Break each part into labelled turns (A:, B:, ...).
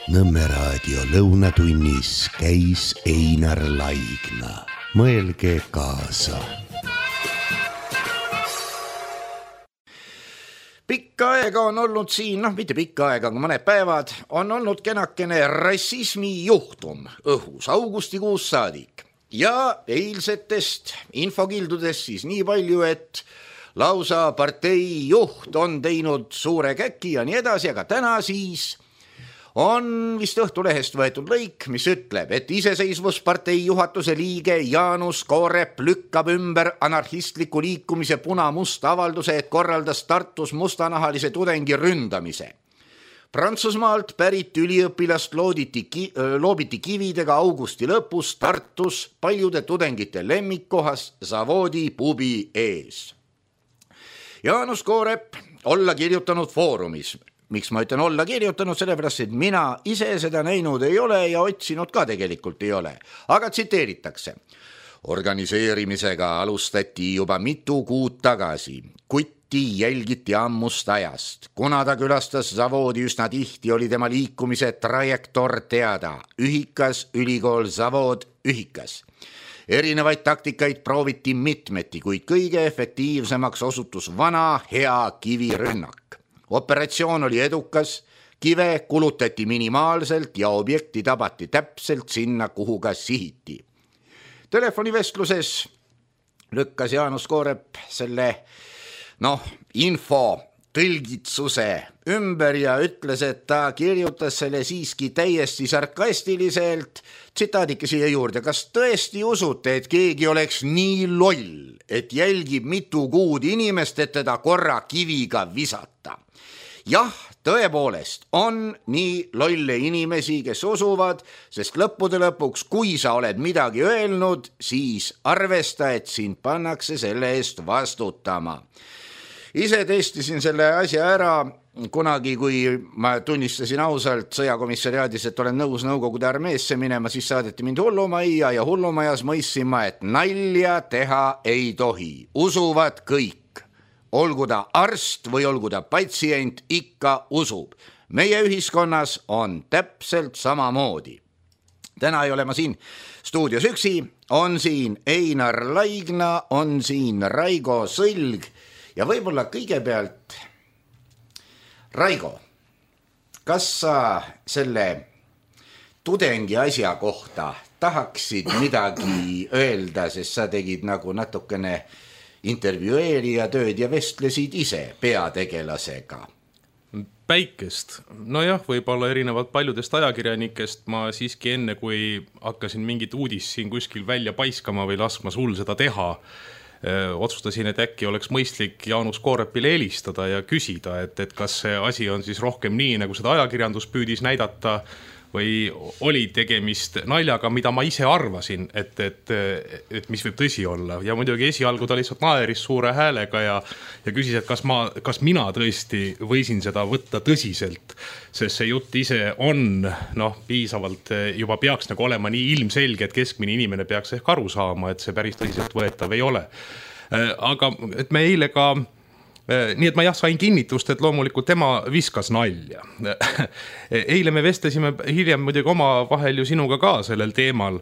A: Nõmme raadio lõunatunnis käis Einar Laigna. Mõelge kaasa.
B: Pikka aega on olnud siin, mitte pikka aega, aga mõned päevad, on olnud kenakene rassismi juhtum õhus augustikuus saadik. Ja eilsetest infokildudest siis nii palju, et lausa partei juht on teinud suure käki ja nii edasi, aga täna siis on vist Õhtulehest võetud lõik, mis ütleb, et Iseseisvuspartei juhatuse liige Jaanus Koorep lükkab ümber anarhistliku liikumise Puna-Musta avalduse, et korraldas Tartus mustanahalise tudengi ründamise. Prantsusmaalt pärit üliõpilast loobiti kividega augusti lõpus Tartus paljude tudengite lemmikkohas Zavodi pubi ees. Jaanus Koorep olla kirjutanud foorumis. Miks ma ütlen olla kirjutanud, sellepärast, et mina ise seda näinud ei ole ja otsinud ka tegelikult ei ole. Aga tsiteeritakse. Organiseerimisega alustati juba mitu kuud tagasi. Kutti jälgiti ammust ajast. Kuna ta külastas Zavodi üsna tihti, oli tema liikumise trajektoor teada. Ühikas, ülikool, Zavod, ühikas. Erinevaid taktikaid prooviti mitmeti, kuid kõige efektiivsemaks osutus vana hea kivirünnak. Operatsioon oli edukas, kive kulutati minimaalselt ja objekti tabati täpselt sinna, kuhu ka sihiti. Telefonivestluses lükkas Jaanus Koorep selle info tõlgitsuse ümber ja ütles, et ta kirjutas selle siiski täiesti sarkastiliselt. Tsitaadike siia juurde, kas tõesti usute, et keegi oleks nii loll, et jälgib mitu kuud inimest, et teda korra kiviga visata? Jah, tõepoolest on nii lolle inimesi, kes usuvad, sest lõppude lõpuks, kui sa oled midagi öelnud, siis arvesta, et sind pannakse selle eest vastutama. Ise testisin selle asja ära kunagi, kui ma tunnistasin ausalt sõjakomissariaadis, et olen nõus Nõukogude armeesse minema, siis saadeti mind hullumajja ja hullumajas mõistsin ma, et nalja teha ei tohi. Usuvad kõik. Olgu ta arst või olgu ta patsient, ikka usub. Meie ühiskonnas on täpselt samamoodi. Täna ei ole ma siin stuudios üksi, on siin Einar Laigna, on siin Raigo Sõlg ja võib-olla kõigepealt Raigo, kas sa selle tudengi asja kohta tahaksid midagi öelda, sest sa tegid nagu natukene intervjueerija tööd ja vestlesid ise peategelasega?
C: Päikest. Nojah, võib-olla erinevalt paljudest ajakirjanikest ma siiski enne, kui hakkasin mingit uudist siin kuskil välja paiskama või laskma sul seda teha, otsustasin, et äkki oleks mõistlik Jaanus Koorepile helistada ja küsida, et kas see asi on siis rohkem nii, nagu seda ajakirjandus püüdis näidata, või oli tegemist naljaga, mida ma ise arvasin, et mis võib tõsi olla. Ja muidugi esialgu ta lihtsalt naeris suure häälega ja küsis, et kas mina tõesti võisin seda võtta tõsiselt, sest see jutt ise on piisavalt juba peaks nagu olema nii ilmselge, et keskmine inimene peaks ehk aru saama, et see päris tõsiselt võetav ei ole. Aga et me eile ka nii et ma sain kinnitust, et loomulikult tema viskas nalja. Eile me vestlesime hiljem muidugi oma vahel ju sinuga ka sellel teemal.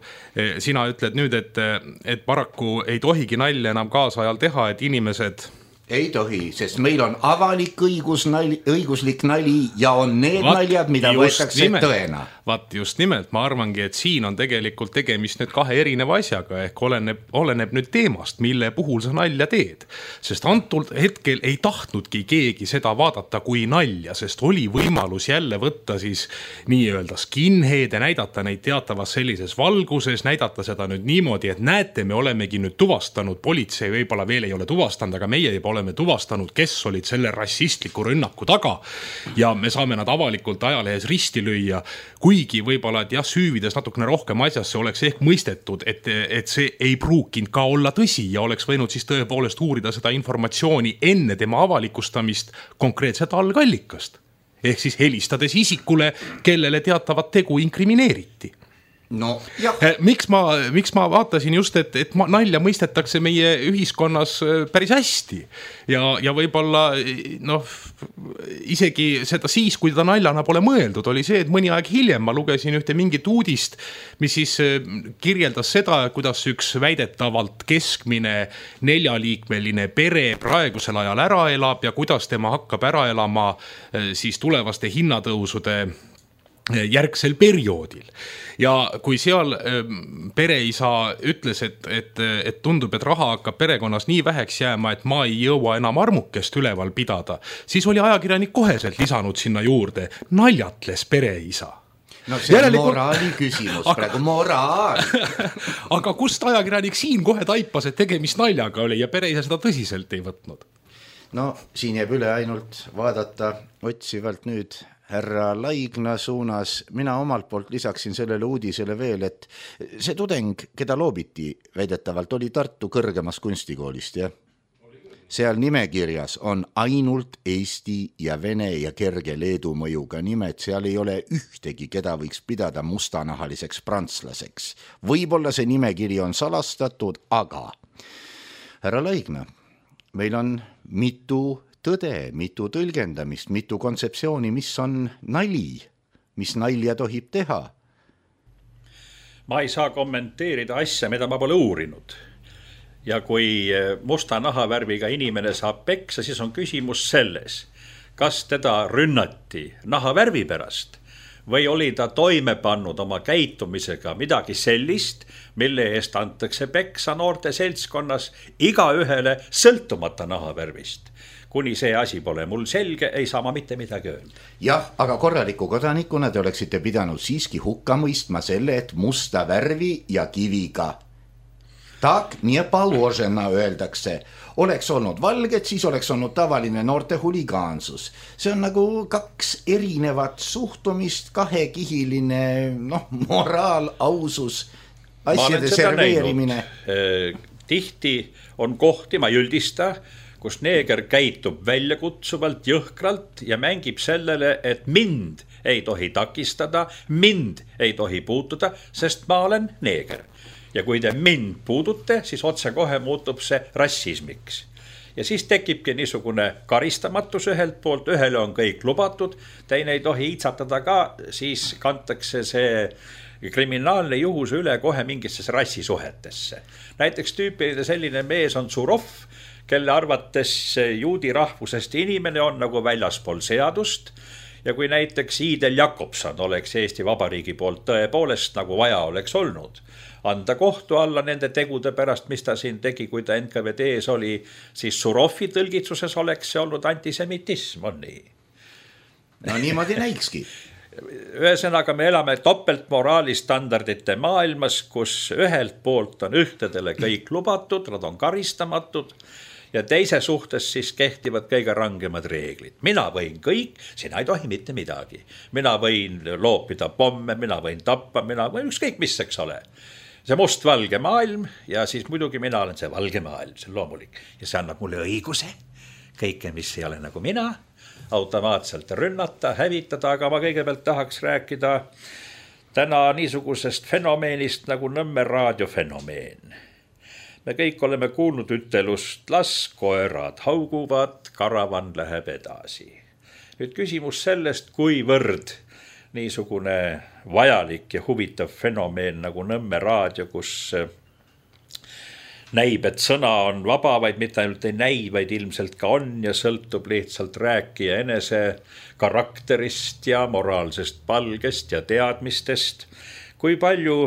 C: Sina ütled nüüd, et paraku ei tohigi nalja enam kaasajal teha, et inimesed
B: ei tohi, sest meil on avalik õiguslik nali ja on need naljad, mida võetakse tõena.
C: Vaat just nimelt, ma arvangi, et siin on tegelikult tegemist nüüd kahe erineva asjaga, ehk oleneb nüüd teemast, mille puhul sa nalja teed. Sest antud hetkel ei tahtnudki keegi seda vaadata kui nalja, sest oli võimalus jälle võtta siis nii-öelda skinhead ja näidata neid teatavas sellises valguses, näidata seda nüüd niimoodi, et näete, me olemegi nüüd tuvastanud, politsei võib-olla veel ei ole tuvastanud, aga meie juba oleme tuvastanud, kes olid selle rassistliku rünnaku taga ja me saame nad avalikult ajalehes risti lüüa, kuigi võib-olla, et süüvides natukene rohkem asjasse oleks ehk mõistetud, et see ei pruukinud ka olla tõsi ja oleks võinud siis tõepoolest uurida seda informatsiooni enne tema avalikustamist konkreetset algallikast. Ehk siis helistades isikule, kellele teatavat tegu inkrimineeriti.
B: no jah.
C: Miks ma vaatasin just, et nalja mõistetakse meie ühiskonnas päris hästi ja võib-olla isegi seda siis, kui ta naljana pole mõeldud, oli see, et mõni aeg hiljem ma lugesin ühte mingit uudist, mis siis kirjeldas seda, kuidas üks väidetavalt keskmine 4-liikmeline pere praegusel ajal ära elab ja kuidas tema hakkab ära elama siis tulevaste hinnatõusude järgsel perioodil. Ja kui seal pereisa ütles, et tundub, et raha hakkab perekonnas nii väheks jääma, et ma ei jõua enam armukest üleval pidada, siis oli ajakirjanik koheselt lisanud sinna juurde, naljatles pereisa.
B: No see on moraali küsimus, praegu moraal.
C: Aga kust ajakirjanik siin kohe taipas, et tegemist naljaga oli ja pereisa seda tõsiselt ei võtnud?
B: No siin jääb üle ainult vaadata otsivalt nüüd härra Laigna suunas. Mina omalt poolt lisaksin sellele uudisele veel, et see tudeng, keda loobiti väidetavalt, oli Tartu kõrgemast kunstikoolist, jah? Seal nimekirjas on ainult Eesti ja Vene ja kerge Leedu mõjuga nimed, seal ei ole ühtegi, keda võiks pidada mustanahaliseks prantslaseks. Võib-olla see nimekiri on salastatud, aga härra Laigna, meil on mitu tõde, mitu tõlgendamist, mitu kontseptsiooni, mis on nali, mis nalja tohib teha.
D: Ma ei saa kommenteerida asja, mida ma pole uurinud. Ja kui musta nahavärviga inimene saab peksa, siis on küsimus selles, kas teda rünnati nahavärvi pärast või oli ta toime pannud oma käitumisega midagi sellist, mille eest antakse peksa noorte seltskonnas igaühele sõltumata nahavärvist. Kuni see asi pole mul selge, ei saa ma mitte midagi öelda.
B: Jah, aga korraliku kodanikuna te oleksite pidanud siiski hukka mõistma selle, et musta värvi ja kiviga. Tak, nii paložena öeldakse. Oleks olnud valged, siis oleks olnud tavaline noorte huligaansus. See on nagu kaks erinevat suhtumist, kahekihiline moraal, ausus, asjade serveerimine.
D: Tihti on kohti, ma üldista, kus neeger käitub väljakutsuvalt, jõhkralt ja mängib sellele, et mind ei tohi takistada, mind ei tohi puutuda, sest ma olen neeger. Ja kui te mind puudute, siis otse kohe muutub see rassismiks. Ja siis tekibki niisugune karistamatus ühelt poolt, ühele on kõik lubatud, teine ei tohi iitsatada ka, siis kantakse see kriminaalne juhus üle kohe mingisse rassisuhetesse. Näiteks tüüpiline selline mees on Surov, kelle arvates juudi rahvusest inimene on nagu väljaspool seadust ja kui näiteks Iidel Jakobson oleks Eesti Vabariigi poolt tõepoolest nagu vaja oleks olnud, anda kohtu alla nende tegude pärast, mis ta siin tegi, kui ta NKVD-s oli, siis Surovi tõlgitsuses oleks see olnud antisemitism, on nii.
B: No niimoodi näikski.
D: Ühesõnaga me elame topeltmoraali standardite maailmas, kus ühelt poolt on ühtedele kõik lubatud, nad on karistamatud ja teise suhtes siis kehtivad kõige rangemad reeglid. Mina võin kõik, sina ei tohi mitte midagi. Mina võin loopida pomme, mina võin tappa, mina võin ükskõik mis, eks ole. See must-valge maailm ja siis muidugi mina olen see valge maailm, see on loomulik. Ja see annab mulle õiguse, kõike mis ei ole nagu mina, automaatselt rünnata, hävitada, aga ma kõigepealt tahaks rääkida täna niisugusest fenomeenist nagu Nõmme raadiofenomeen. Me kõik oleme kuulnud ütelust, las koerad hauguvad, karavan läheb edasi. Nüüd küsimus sellest, kuivõrd niisugune vajalik ja huvitav fenomeen nagu Nõmme raadio, kus näib, et sõna on vaba, vaid mitte ainult ei näi, vaid ilmselt ka on ja sõltub lihtsalt rääkija enese karakterist ja moraalsest palgest ja teadmistest. Kui palju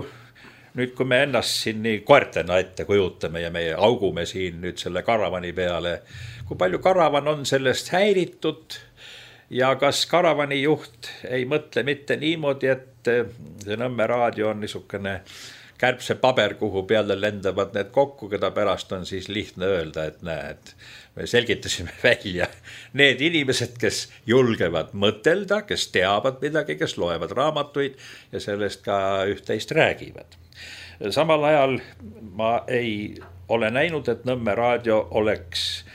D: nüüd, kui me ennast siin nii koertena ette kujutame ja me augume siin nüüd selle karavani peale, kui palju karavan on sellest häiritud ja kas karavani juht ei mõtle mitte niimoodi, et see Nõmme raadio on niisugune kärbse paber, kuhu peale lendavad need kokku, keda pärast on siis lihtne öelda, et näed, me selgitasime välja need inimesed, kes julgevad mõtelda, kes teavad midagi, kes loevad raamatuid ja sellest ka üht-teist räägivad. Samal ajal ma ei ole näinud, et Nõmme raadio oleks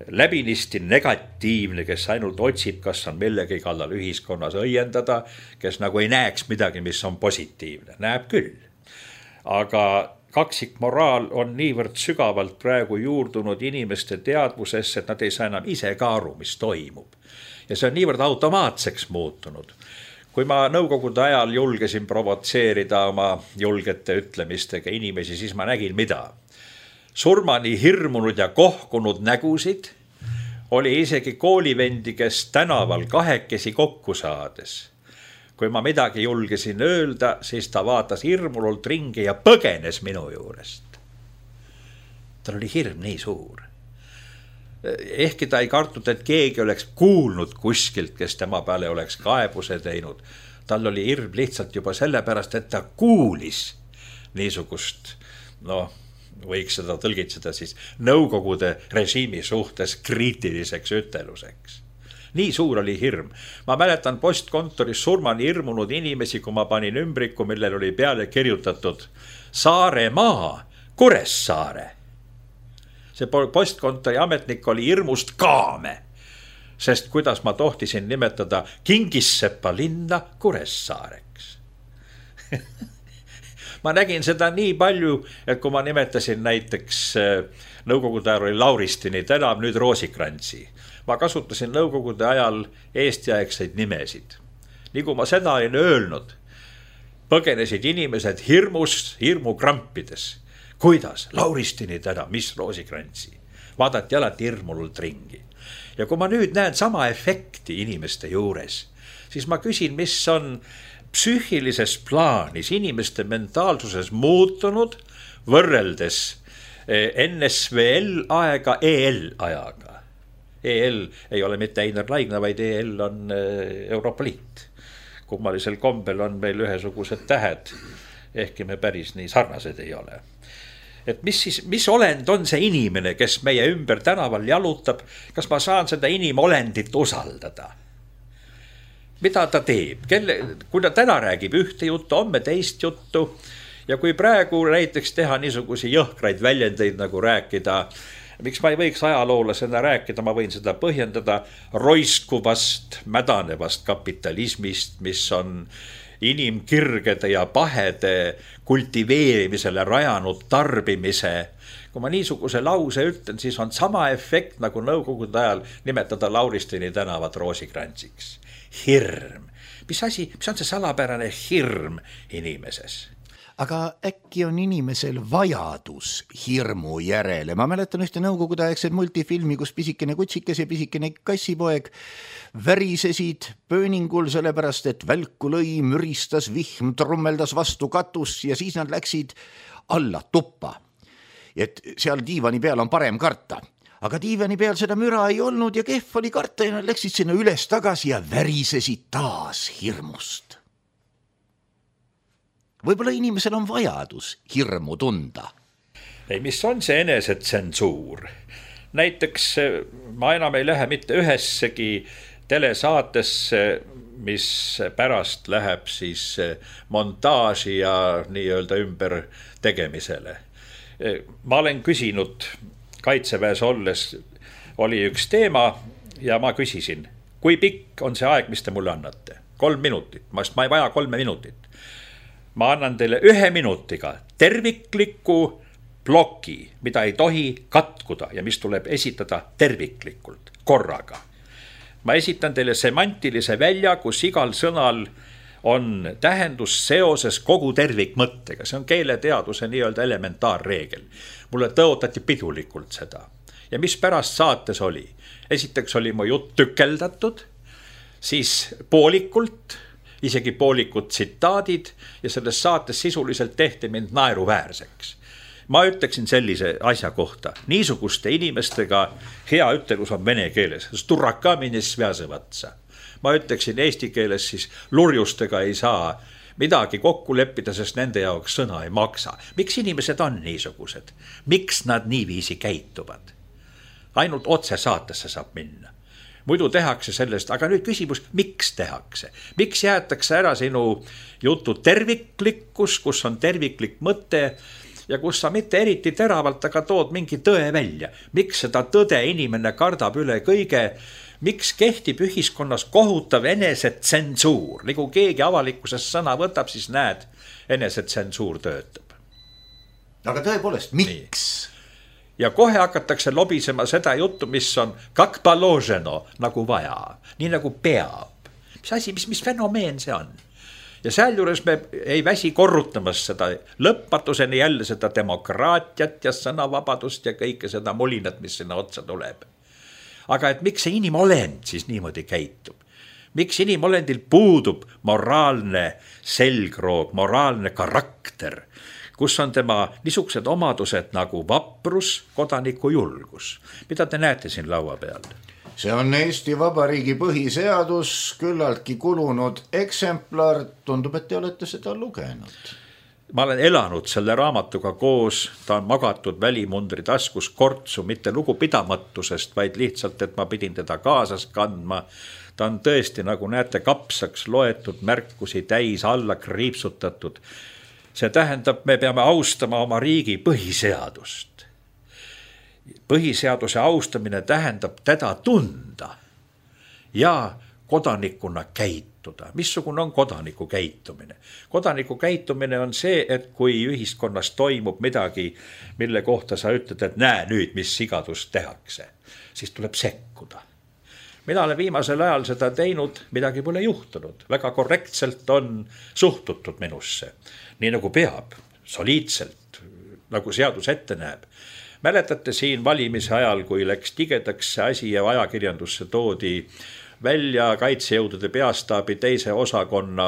D: läbinisti negatiivne, kes ainult otsib, kas on millegi kallal ühiskonnas õiendada, kes nagu ei näeks midagi, mis on positiivne. Näeb küll. Aga kaksikmoraal on niivõrd sügavalt praegu juurdunud inimeste teadvusesse, et nad ei saa enam ise ka aru, mis toimub. Ja see on niivõrd automaatseks muutunud. Kui ma nõukogude ajal julgesin provotseerida oma julgete ütlemistega inimesi, siis ma nägin mida. Surmani hirmunud ja kohkunud nägusid oli isegi koolivendi, kes tänaval kahekesi kokku saades. Kui ma midagi julgesin öelda, siis ta vaatas hirmunult ringi ja põgenes minu juurest. Tal oli hirm nii suur. Ehkki ta ei kartnud, et keegi oleks kuulnud kuskilt, kes tema peale oleks kaebuse teinud. Tal oli hirm lihtsalt juba sellepärast, et ta kuulis niisugust, võiks seda tõlgitseda siis nõukogude režiimi suhtes kriitiliseks üteluseks. Nii suur oli hirm. Ma mäletan postkontoris surmani hirmunud inimesi, kui ma panin ümbriku, millel oli peale kirjutatud Saaremaa, Kuressaare. See postkontori ametnik oli hirmust kaame, sest kuidas ma tohtisin nimetada Kingissepa linna Kuressaareks. Ma nägin seda nii palju, et kui ma nimetasin näiteks nõukogude ajal oli Lauristini tänav, nüüd Roosikrantsi. Ma kasutasin nõukogude ajal eestiaegseid nimesid. Nii kui ma seda olin öelnud, põgenesid inimesed hirmukrampides. Kuidas? Lauristini tänav, mis Roosikrantsi? Vaadati alati hirmunult ringi. Ja kui ma nüüd näen sama efekti inimeste juures, siis ma küsin, mis on psüühilises plaanis inimeste mentaalsuses muutunud võrreldes NSVL aega EL ajaga. EL ei ole mitte Einar Laigna, vaid EL on Euroopa Liit. Kummalisel kombel on meil ühesugused tähed, ehkki me päris nii sarnased ei ole. Et mis olend on see inimene, kes meie ümber tänaval jalutab, kas ma saan seda inimolendit usaldada? Mida ta teeb? Kui ta täna räägib ühte juttu, homme teist juttu ja kui praegu näiteks teha niisugusi jõhkraid väljendeid nagu rääkida, miks ma ei võiks ajaloolasena rääkida, ma võin seda põhjendada roiskuvast, mädanevast kapitalismist, mis on inimkirgede ja pahede kultiveerimisele rajanud tarbimise. Kui ma niisuguse lause ütlen, siis on sama efekt nagu nõukogude ajal nimetada Lauristini tänavat Roosikrantsiks. Hirm. Mis on see salapärane hirm inimeses?
B: Aga äkki on inimesel vajadus hirmu järele? Ma mäletan ühte nõukogude aegset multifilmi, kus pisikene kutsikas ja pisikene kassipoeg värisesid pööningul sellepärast, et välku lõi, müristas, vihm trummeldas vastu katus ja siis nad läksid alla tuppa. Et seal diivani peal on parem karta. Aga diivani peal seda müra ei olnud ja kehv oli karta ja nad läksid sinna üles tagasi ja värisesid taas hirmust. Võib-olla inimesel on vajadus hirmu tunda.
D: Ei, mis on see enesetsensuur? Näiteks ma enam ei lähe mitte ühessegi telesaatesse, mis pärast läheb siis montaaži ja nii-öelda ümber tegemisele. Ma olen küsinud Kaitseväes olles oli üks teema ja ma küsisin, kui pikk on see aeg, mis te mulle annate? 3 minutit, ma ei vaja 3 minutit. Ma annan teile 1 minutiga tervikliku ploki, mida ei tohi katkuda ja mis tuleb esitada terviklikult, korraga. Ma esitan teile semantilise välja, kus igal sõnal on tähendus seoses kogu tervikmõttega. See on keeleteaduse nii-öelda elementaarreegel. Mulle tõotati pidulikult seda. Ja mis pärast saates oli? Esiteks oli mu jutt tükeldatud, siis poolikult, isegi poolikud tsitaadid ja selles saates sisuliselt tehti mind naeruväärseks. Ma ütleksin sellise asja kohta. Niisuguste inimestega hea ütelus on vene keeles. Sturrakkamini svjasevatsa. Ma ütleksin eesti keeles siis lurjustega ei saa midagi kokku leppida, sest nende jaoks sõna ei maksa. Miks inimesed on niisugused? Miks nad niiviisi käituvad? Ainult otse saatesse saab minna. Muidu tehakse sellest, aga nüüd küsimus, miks tehakse? Miks jäetakse ära sinu jutu terviklikkus, kus on terviklik mõte ja kus sa mitte eriti teravalt, aga tood mingi tõe välja. Miks seda tõde inimene kardab üle kõige? Miks kehtib ühiskonnas kohutav enesetsensuur? Nagu keegi avalikkuses sõna võtab, siis näed, enesetsensuur töötab.
B: Aga tõepoolest, miks?
D: Ja kohe hakatakse lobisema seda juttu, mis on kak paloženo, nagu vaja, nii nagu peab. Mis asi, mis fenomeen see on? Ja sealjuures me ei väsi korrutamas seda lõpmatuseni jälle seda demokraatiat ja sõnavabadust ja kõike seda mulinat, mis sinna otsa tuleb. Aga et miks see inimolend siis niimoodi käitub? Miks inimolendil puudub moraalne selgroog, moraalne karakter, kus on tema niisugused omadused nagu vaprus, kodaniku julgus? Mida te näete siin laua peal?
B: See on Eesti Vabariigi põhiseadus, küllaltki kulunud eksemplar. Tundub, et te olete seda lugenud.
D: Ma olen elanud selle raamatuga koos, ta on magatud välimundri taskus kortsu, mitte lugupidamatusest, vaid lihtsalt, et ma pidin teda kaasas kandma. Ta on tõesti, nagu näete, kapsaks loetud, märkusi täis, alla kriipsutatud. See tähendab, me peame austama oma riigi põhiseadust. Põhiseaduse austamine tähendab teda tunda ja kodanikuna käituda. Missugune on kodaniku käitumine? Kodaniku käitumine on see, et kui ühiskonnas toimub midagi, mille kohta sa ütled, et näe nüüd, mis sigadust tehakse, siis tuleb sekkuda. Mina olen viimasel ajal seda teinud, midagi pole juhtunud. Väga korrektselt on suhtutud minusse, nii nagu peab, soliidselt, nagu seadus ette näeb. Mäletate siin valimise ajal, kui läks tigedaks see asi ja ajakirjandusse toodi välja kaitsejõudude peastaabi teise osakonna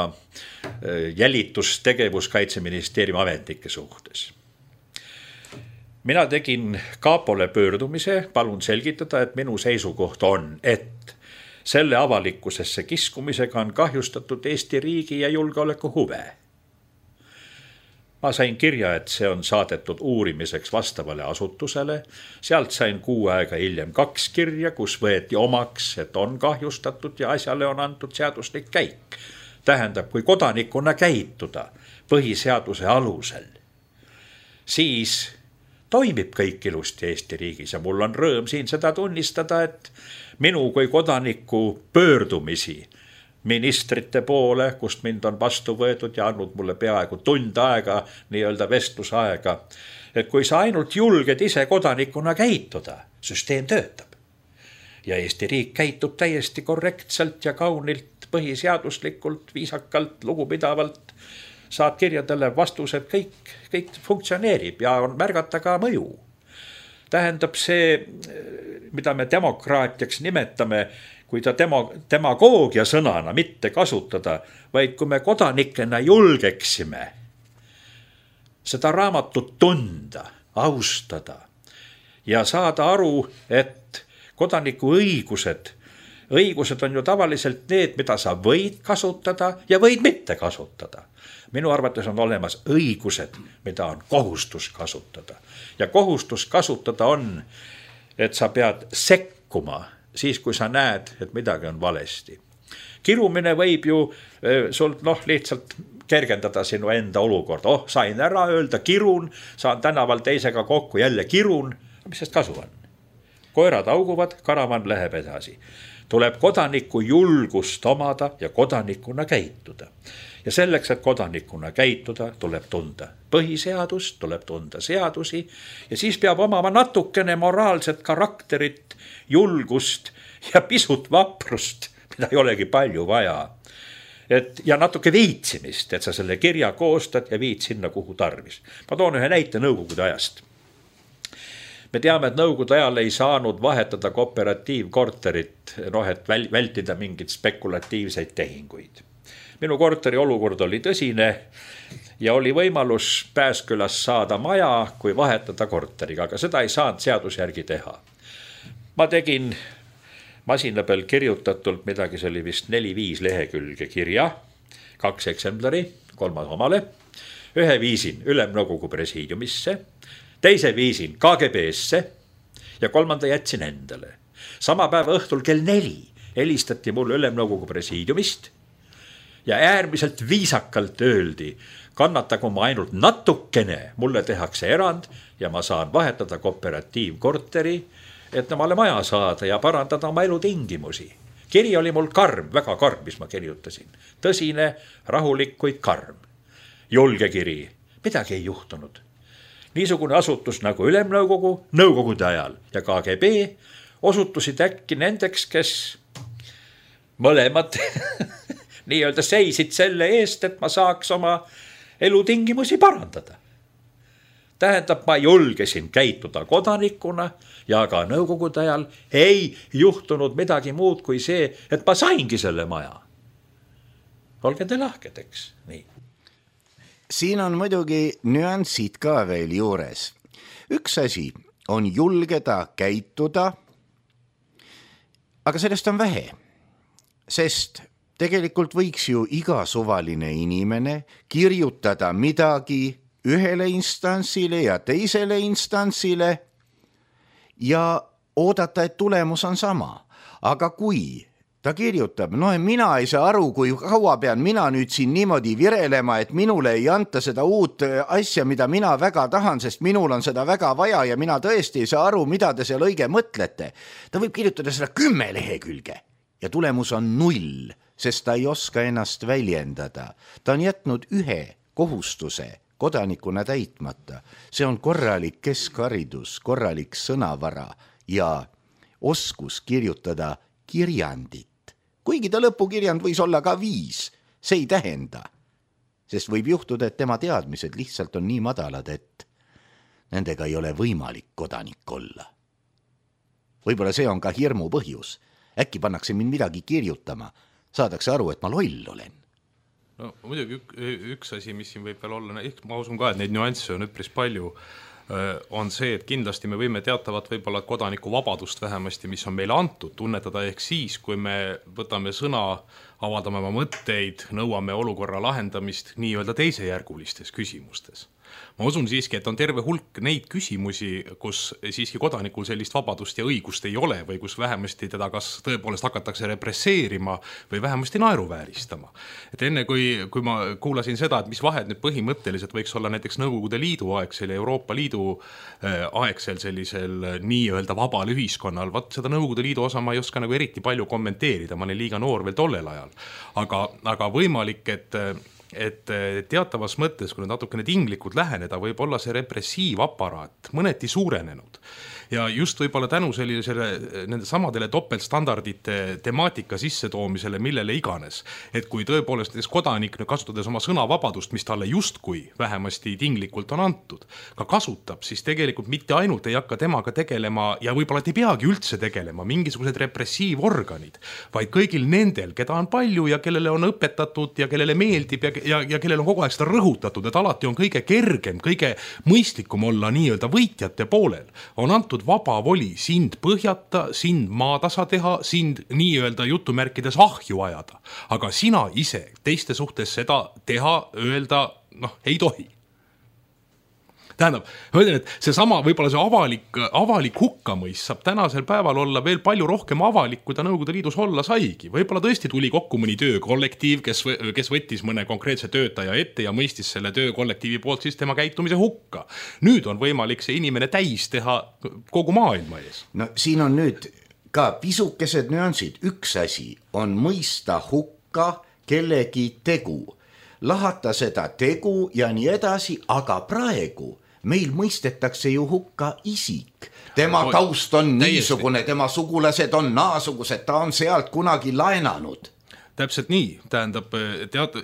D: jälitustegevus Kaitseministeeriumi ametnike suhtes. Mina tegin kaapole pöördumise, palun selgitada, et minu seisukoht on, et selle avalikkusesse kiskumisega on kahjustatud Eesti riigi ja julgeoleku huve. Ma sain kirja, et see on saadetud uurimiseks vastavale asutusele. Sealt sain 6 aega hiljem 2 kirja, kus võeti omaks, et on kahjustatud ja asjale on antud seaduslik käik. Tähendab, kui kodanikuna käituda põhiseaduse alusel, siis toimib kõik ilusti Eesti riigis ja mul on rõõm siin seda tunnistada, et minu kui kodaniku pöördumisi ministrite poole, kust mind on vastu võetud ja andnud mulle peaaegu tund aega, nii-öelda vestlusaega, et kui sa ainult julged ise kodanikuna käituda, süsteem töötab. Ja Eesti riik käitub täiesti korrektselt ja kaunilt, põhiseaduslikult, viisakalt, lugupidavalt, saad kirjadele vastused, kõik funktsioneerib ja on märgata ka mõju. Tähendab see, mida me demokraatiaks nimetame, kui ta demagoogia sõnana mitte kasutada, vaid kui me kodanikena julgeksime seda raamatut tunda, austada ja saada aru, et kodaniku õigused on ju tavaliselt need, mida sa võid kasutada ja võid mitte kasutada. Minu arvates on olemas õigused, mida on kohustus kasutada. Ja kohustus kasutada on, et sa pead sekkuma siis, kui sa näed, et midagi on valesti. Kirumine võib ju sul lihtsalt kergendada sinu enda olukorda. Sain ära öelda, kirun, saan tänaval teisega kokku, jälle kirun. Mis sest kasu on? Koerad auguvad, karavan läheb edasi. Tuleb kodaniku julgust omada ja kodanikuna käituda. Ja selleks, et kodanikuna käituda, tuleb tunda põhiseadust, tuleb tunda seadusi ja siis peab omama natukene moraalset karakterit, julgust ja pisut vaprust, mida ei olegi palju vaja. Ja natuke viitsimist, et sa selle kirja koostad ja viid sinna, kuhu tarvis. Ma toon ühe näite Nõukogude ajast. Me teame, et Nõukogude ajal ei saanud vahetada kooperatiivkorterit, et vältida mingid spekulatiivseid tehinguid. Minu korteri olukord oli tõsine ja oli võimalus Pääskülas saada maja, kui vahetada korteriga, aga seda ei saanud seaduse järgi teha. Ma tegin masina peal kirjutatult midagi, see oli vist 4-5 lehekülge kirja, 2 eksemplari, 3 omale, ühe viisin Ülemnõukogu presiidiumisse, teise viisin KGB-sse ja 3. jätsin endale. Sama päeva õhtul kell 4 helistati mulle Ülemnõukogu presiidiumist ja äärmiselt viisakalt öeldi, kannatagu ma ainult natukene, mulle tehakse erand ja ma saan vahetada kooperatiivkorteri, et nemale maja saada ja parandada oma elutingimusi. Kiri oli mul karm, väga karm, mis ma kirjutasin. Tõsine, rahulik, kuid karm. Julge kiri, midagi ei juhtunud. Niisugune asutus nagu Ülemnõukogu, nõukogude ajal ja KGB osutusid äkki nendeks, kes mõlemad nii-öelda seisid selle eest, et ma saaks oma elutingimusi parandada. Tähendab, ma julgesin käituda kodanikuna ja ka nõukogude ajal ei juhtunud midagi muud kui see, et ma saingi selle maja. Olge te lahkedeks, nii.
B: Siin on muidugi nüansid ka veel juures. Üks asi on julgeda käituda, aga sellest on vähe, sest tegelikult võiks ju iga suvaline inimene kirjutada midagi ühele instantsile ja teisele instantsile ja oodata, et tulemus on sama. Aga kui ta kirjutab, mina ei saa aru, kui kaua pean mina nüüd siin niimoodi virelema, et minule ei anta seda uut asja, mida mina väga tahan, sest minul on seda väga vaja ja mina tõesti ei saa aru, mida te seal õige mõtlete. Ta võib kirjutada seda 10 lehekülge ja tulemus on 0, sest ta ei oska ennast väljendada. Ta on jätnud ühe kohustuse kodanikuna täitmata. See on korralik keskharidus, korralik sõnavara ja oskus kirjutada kirjandit. Kuigi ta lõpukirjand võis olla ka 5, see ei tähenda. Sest võib juhtuda, et tema teadmised lihtsalt on nii madalad, et nendega ei ole võimalik kodanik olla. Võib-olla see on ka hirmu põhjus. Äkki pannakse mind midagi kirjutama, saadakse aru, et ma loll olen.
C: No muidugi üks asi, mis siin võib veel olla, ma usun ka, et neid nüansse on üpris palju, on see, et kindlasti me võime teatavat võib-olla kodaniku vabadust vähemasti, mis on meile antud, tunnetada ehk siis, kui me võtame sõna, avaldame oma mõtteid, nõuame olukorra lahendamist nii-öelda teisejärgulistes küsimustes. Ma usun siiski, et on terve hulk neid küsimusi, kus siiski kodanikul sellist vabadust ja õigust ei ole või kus vähemasti teda kas tõepoolest hakatakse represseerima või vähemasti naeruvääristama. Et enne kui ma kuulasin seda, et mis vahed nüüd põhimõtteliselt võiks olla näiteks Nõukogude Liidu aegsel ja Euroopa Liidu aegsel sellisel nii-öelda vabal ühiskonnal, seda Nõukogude Liidu osa ma ei oska nagu eriti palju kommenteerida, ma olen liiga noor veel tollel ajal. Aga võimalik, et teatavas mõttes, kui natukene tinglikult läheneda, võib olla see repressiivaparaat mõneti suurenenud. Ja just võib-olla tänu nende samadele topeltstandardite temaatika sissetoomisele, millele iganes. Et kui tõepoolest kodanik kasutades oma sõnavabadust, mis talle justkui vähemasti tinglikult on antud, ka kasutab, siis tegelikult mitte ainult ei hakka temaga tegelema ja võib-olla ei peagi üldse tegelema mingisugused repressiivorganid, vaid kõigil nendel, keda on palju ja kellele on õpetatud ja kellele meeldib ja kellel on kogu aeg seda rõhutatud, et alati on kõige kergem, kõige mõistlikum olla nii-öelda võitjate poolel, on antud vaba voli sind põhjata, sind maatasa teha, sind nii-öelda jutumärkides ahju ajada. Aga sina ise teiste suhtes seda teha, öelda, ei tohi. Tähendab, ma ütlen, et see sama võib-olla see avalik hukkamõis saab tänasel päeval olla veel palju rohkem avalik, kui ta Nõukogude Liidus olla saigi. Võib-olla tõesti tuli kokku mõni töökollektiiv, kes võttis mõne konkreetse töötaja ette ja mõistis selle töökollektiivi poolt siis tema käitumise hukka. Nüüd on võimalik see inimene täis teha kogu maailma ees.
B: No siin on nüüd ka pisukesed nüansid. Üks asi on mõista hukka kellegi tegu, lahata seda tegu ja nii edasi, aga praegu meil mõistetakse ju hukka isik. Tema taust on niisugune, tema sugulased on naasugused, ta on sealt kunagi laenanud.
C: Täpselt nii, tähendab,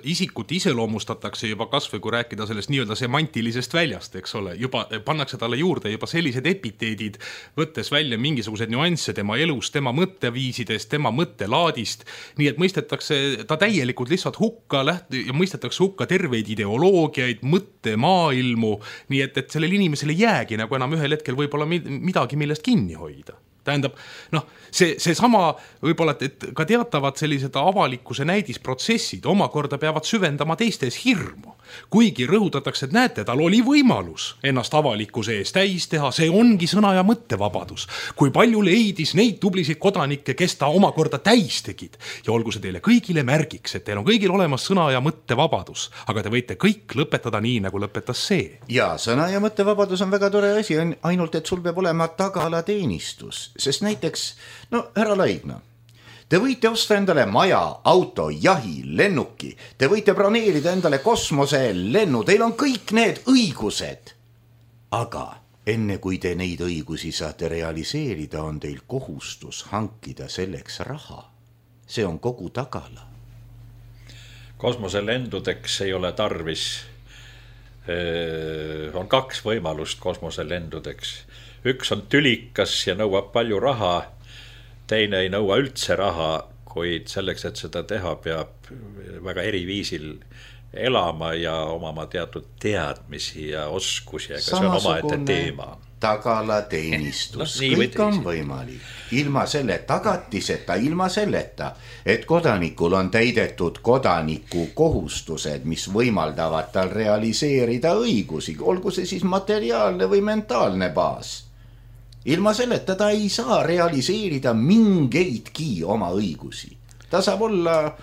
C: isikut iseloomustatakse juba kasvõi, kui rääkida sellest nii-öelda semantilisest väljast, eks ole, juba pannakse talle juurde juba sellised epiteedid, võttes välja mingisugused nüansse tema elust, tema mõtteviisidest, tema mõttelaadist, nii et mõistetakse ta täielikult lihtsalt hukka ja mõistetakse hukka terveid ideoloogiaid, mõttemaailmu, nii et sellel inimesel ei jäägi nagu enam ühel hetkel võib-olla midagi, millest kinni hoida. Tähendab, see sama võib-olla, et ka teatavad sellised avalikkuse näidisprotsessid omakorda peavad süvendama teistes hirmu. Kuigi rõhutatakse, et näete, tal oli võimalus ennast avalikkuse ees täis teha, see ongi sõna- ja mõttevabadus. Kui palju leidis neid tublisid kodanikke, kes ta omakorda täis tegid. Ja olgu see teile kõigile märgiks, et teil on kõigil olemas sõna- ja mõttevabadus, aga te võite kõik lõpetada nii, nagu lõpetas see.
B: Ja sõna- ja mõttevabadus on väga tore asi, ainult et sul peab olema tagalateenistus, sest näiteks, härra Laigna, te võite osta endale maja, auto, jahi, lennuki, te võite broneerida endale kosmoselennu, teil on kõik need õigused. Aga enne kui te neid õigusi saate realiseerida, on teil kohustus hankida selleks raha. See on kogu tagala.
D: Kosmoselendudeks ei ole tarvis, on 2 võimalust kosmoselendudeks. Üks on tülikas ja nõuab palju raha, teine ei nõua üldse raha, kuid selleks, et seda teha, peab väga eriviisil elama ja omama teatud teadmisi ja oskusi, aga see on omaette teema.
B: Tagalateenistus, kõik on võimalik. Ilma selle tagatiseta, ilma selleta, et kodanikul on täidetud kodaniku kohustused, mis võimaldavad tal realiseerida õigusi, olgu see siis materiaalne või mentaalne baas. Ilma selleta ta ei saa realiseerida mingeidki oma õigusi. Ta saab olla,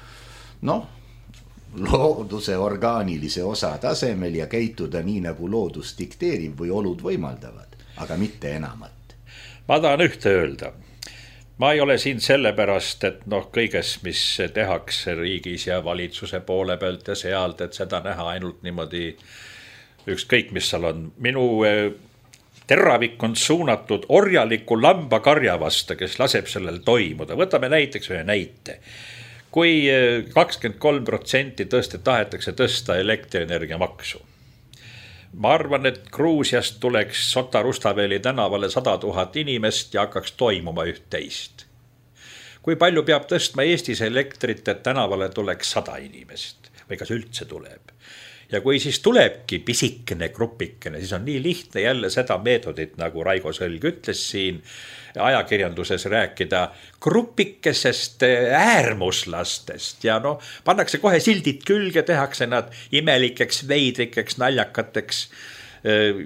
B: looduse orgaanilise osa tasemel ja käituda nii, nagu loodus dikteerib või olud võimaldavad, aga mitte enamat.
D: Ma tahan ühte öelda. Ma ei ole siin sellepärast, et kõiges, mis tehakse riigis ja valitsuse poole pealt ja sealt, et seda näha ainult niimoodi ükskõik, mis seal on. Minu teravik on suunatud orjaliku lambakarja vastu, kes laseb sellel toimuda. Võtame näiteks ühe näite. Kui 23% tahetakse tõsta elektrienergia maksu. Ma arvan, et Gruusiast tuleks Sota Rustaveli tänavale 100 000 inimest ja hakkaks toimuma üht-teist. Kui palju peab tõstma Eestis elektrit, et tänavale tuleks 100 inimest või kas üldse tuleb? Ja kui siis tulebki pisikene grupikene, siis on nii lihtne jälle seda meetodit, nagu Raigo Sõlg ütles siin ajakirjanduses rääkida grupikesest äärmuslastest ja pannakse kohe sildid külge, tehakse nad imelikeks, veidrikeks, naljakateks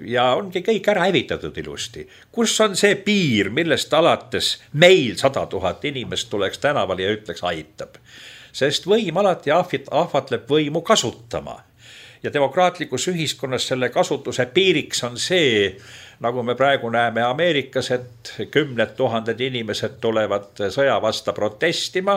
D: ja ongi kõik ära hävitatud ilusti. Kus on see piir, millest alates meil 100 000 inimest tuleks tänavale ja ütleks aitab? Sest võim alati ahvatleb võimu kasutama. Ja demokraatlikus ühiskonnas selle kasutuse piiriks on see, nagu me praegu näeme Ameerikas, et 10 000 inimesed tulevad sõja vasta protestima,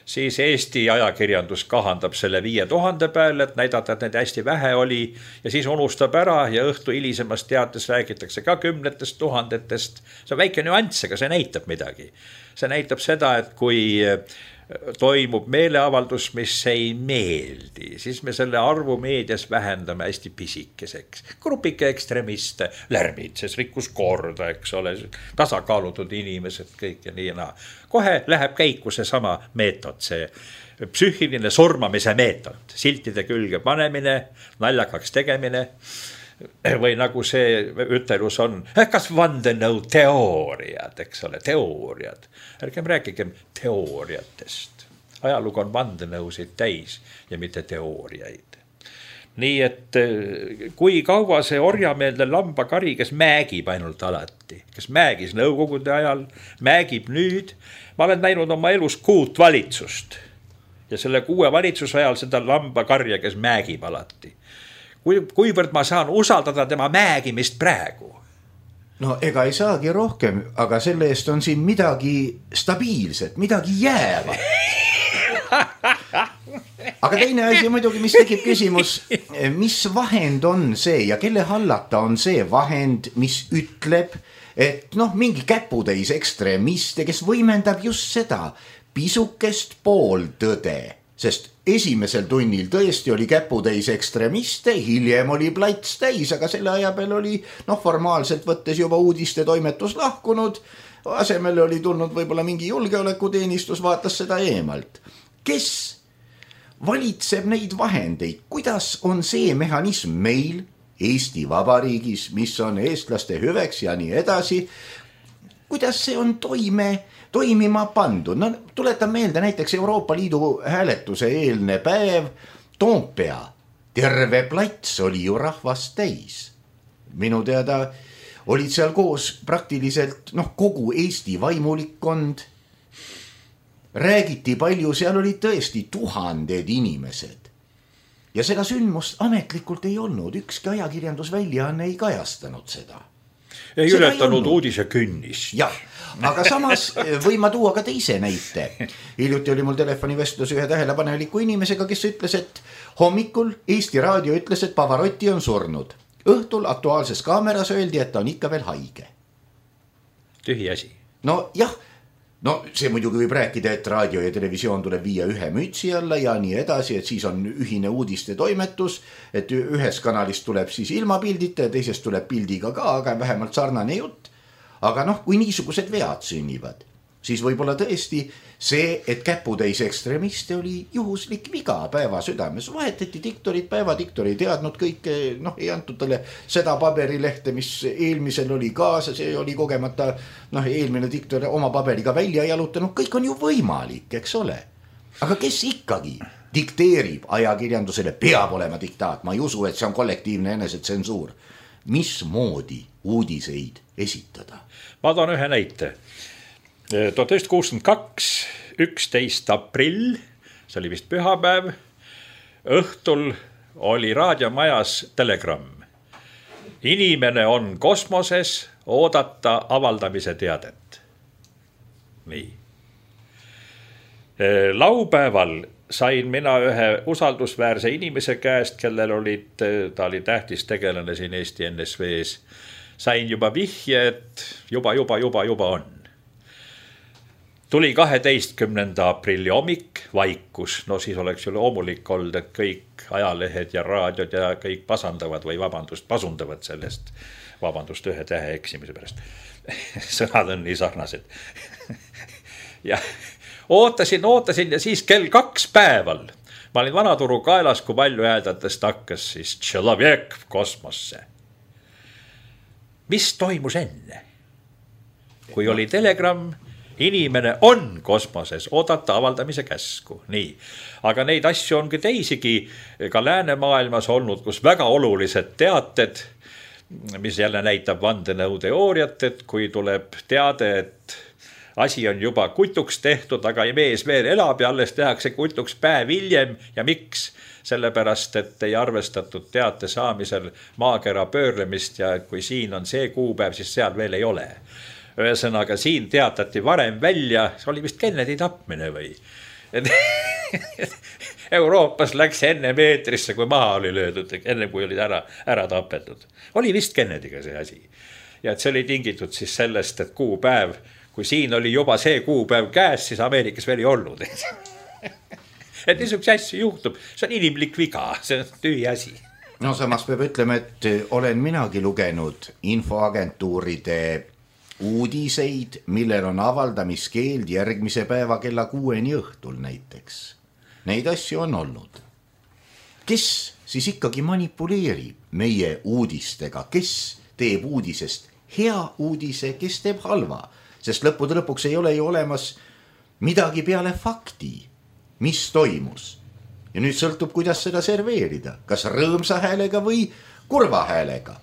D: siis Eesti ajakirjandus kahandab selle 5000 peale, et näidata, et neid hästi vähe oli ja siis unustab ära ja õhtu hilisemas teates räägitakse ka 10 000. See on väike nüanss, aga see näitab midagi. See näitab seda, et kui toimub meeleavaldus, mis ei meeldi, siis me selle arvu meedias vähendame hästi pisikeseks. Grupike ekstremiste, lärmitses, rikkus korda, eks ole, tasakaalutud inimesed, kõik ja nii ja naa. Kohe läheb käiku see sama meetod, see psüühiline surmamise meetod, siltide külge panemine, naljakaks tegemine, või nagu see ütelus on, kas vandenõu teooriad, eks ole, teooriad. Ärgem rääkigem teooriatest. Ajalugu on vandenõusid täis ja mitte teooriaid. Nii et kui kaua see orjameelne lambakari, kes mägib ainult alati, kes mägis nõukogude ajal, mägib nüüd, ma olen näinud oma elus 6 valitsust ja selle 6 valitsuse ajal seda lambakarja, kes mägib alati. Kuivõrd ma saan usaldada tema mägimist praegu?
B: Ega ei saagi rohkem, aga selle eest on siin midagi stabiilset, midagi jäävat. Aga teine asi muidugi, mis tekib küsimus, mis vahend on see ja kelle hallata on see vahend, mis ütleb, et mingi käputäis ekstremiste, kes võimendab just seda pisukest pooltõde. Sest esimesel tunnil tõesti oli käputäis ekstremiste, hiljem oli plats täis, aga selle aja peal oli formaalselt võttes juba uudiste toimetus lahkunud, asemele oli tulnud võib-olla mingi julgeolekuteenistus, vaatas seda eemalt. Kes valitseb neid vahendeid? Kuidas on see mehhanism meil Eesti Vabariigis, mis on eestlaste hüveks ja nii edasi? kuidas see on toimima pandud. No tuletan meelde näiteks Euroopa Liidu hääletuse eelne päev Toompea. Terve plats oli ju rahvast täis. Minu teada olid seal koos praktiliselt kogu Eesti vaimulikkond. Räägiti palju, seal olid tõesti tuhanded inimesed. Ja seda sündmust ametlikult ei olnud, ükski ajakirjandusväljaanne ei kajastanud seda.
D: Ei ületanud uudise künnis.
B: Jah, aga samas võin ma tuua ka teise näite. Hiljuti oli mul telefonivestlus ühe tähelepaneliku inimesega, kes ütles, et hommikul Eesti Raadio ütles, et Pavarotti on surnud. Õhtul Aktuaalses Kaameras öeldi, et ta on ikka veel haige.
D: Tühi asi.
B: No jah, see muidugi võib rääkida, et raadio ja televisioon tuleb viia ühe mütsi alla ja nii edasi, et siis on ühine uudiste toimetus, et ühes kanalis tuleb siis ilma pildita ja teisest tuleb pildiga ka, aga vähemalt sarnane jutt. Aga kui niisugused vead sünnivad, siis võib-olla tõesti see, et käputäis ekstremiste oli juhuslik viga päeva südames. Vahetati diktorid, päevadiktor ei teadnud kõike, ei antud talle seda paberilehte, mis eelmisel oli kaasa, see oli kogemata, eelmine diktor oma paberiga välja jalutanud, kõik on ju võimalik, eks ole. Aga kes ikkagi dikteerib ajakirjandusele, peab olema diktaat, ma ei usu, et see on kollektiivne enesetsensuur. Mismoodi uudiseid esitada?
D: Ma toon ühe näite. 1962, 11. aprill, see oli vist pühapäev, õhtul oli raadiomajas telegramm. Inimene on kosmoses, oodata avaldamise teadet. Nii. Laupäeval sain mina ühe usaldusväärse inimese käest, kellel ta oli tähtis tegelane siin Eesti NSV-s. Sain juba vihje, et juba on. Tuli 12. aprilli hommik, vaikus. Siis oleks ju loomulik olnud, et kõik ajalehed ja raadiod ja kõik pasundavad sellest. Vabandust ühe tähe eksimise pärast. Sõnad on nii sarnased. Ja ootasin ja siis kell 2 päeval. Ma olin Vanaturu kaelas, kui palju häädatest hakkas siis Tšelovek kosmosse. Mis toimus enne? Kui oli telegramm, inimene on kosmoses, oodata avaldamise käsku. Nii. Aga neid asju ongi teisigi ka läänemaailmas olnud, kus väga olulised teated, mis jälle näitab vandenõuteooriat, et kui tuleb teade, et asi on juba kutuks tehtud, aga mees veel elab ja alles tehakse kutuks päev hiljem. Ja miks? Sellepärast, et ei arvestatud teate saamisel maakera pöörlemist ja kui siin on see kuupäev, siis seal veel ei ole. Ühesõnaga siin teatati varem välja, see oli vist Kennedy tapmine või? Euroopas läks enne meetrisse, kui maha oli löödud, enne kui olid ära tapetud. Oli vist Kennedyga see asi. Ja et see oli tingitud siis sellest, et kuupäev, kui siin oli juba see kuupäev käes, siis Ameerikas veel ei olnud. Et niisuguse asju juhtub, see on inimlik viga, see on tühi asi.
B: No samas peab ütlema, et olen minagi lugenud infoagentuuride uudiseid, millel on avaldamiskeeld järgmise päeva kella 6 õhtul näiteks. Neid asju on olnud. Kes siis ikkagi manipuleerib meie uudistega, kes teeb uudisest hea uudise, kes teeb halva, sest lõppude lõpuks ei ole ju olemas midagi peale fakti, mis toimus. Ja nüüd sõltub, kuidas seda serveerida, kas rõõmsa häälega või kurva häälega.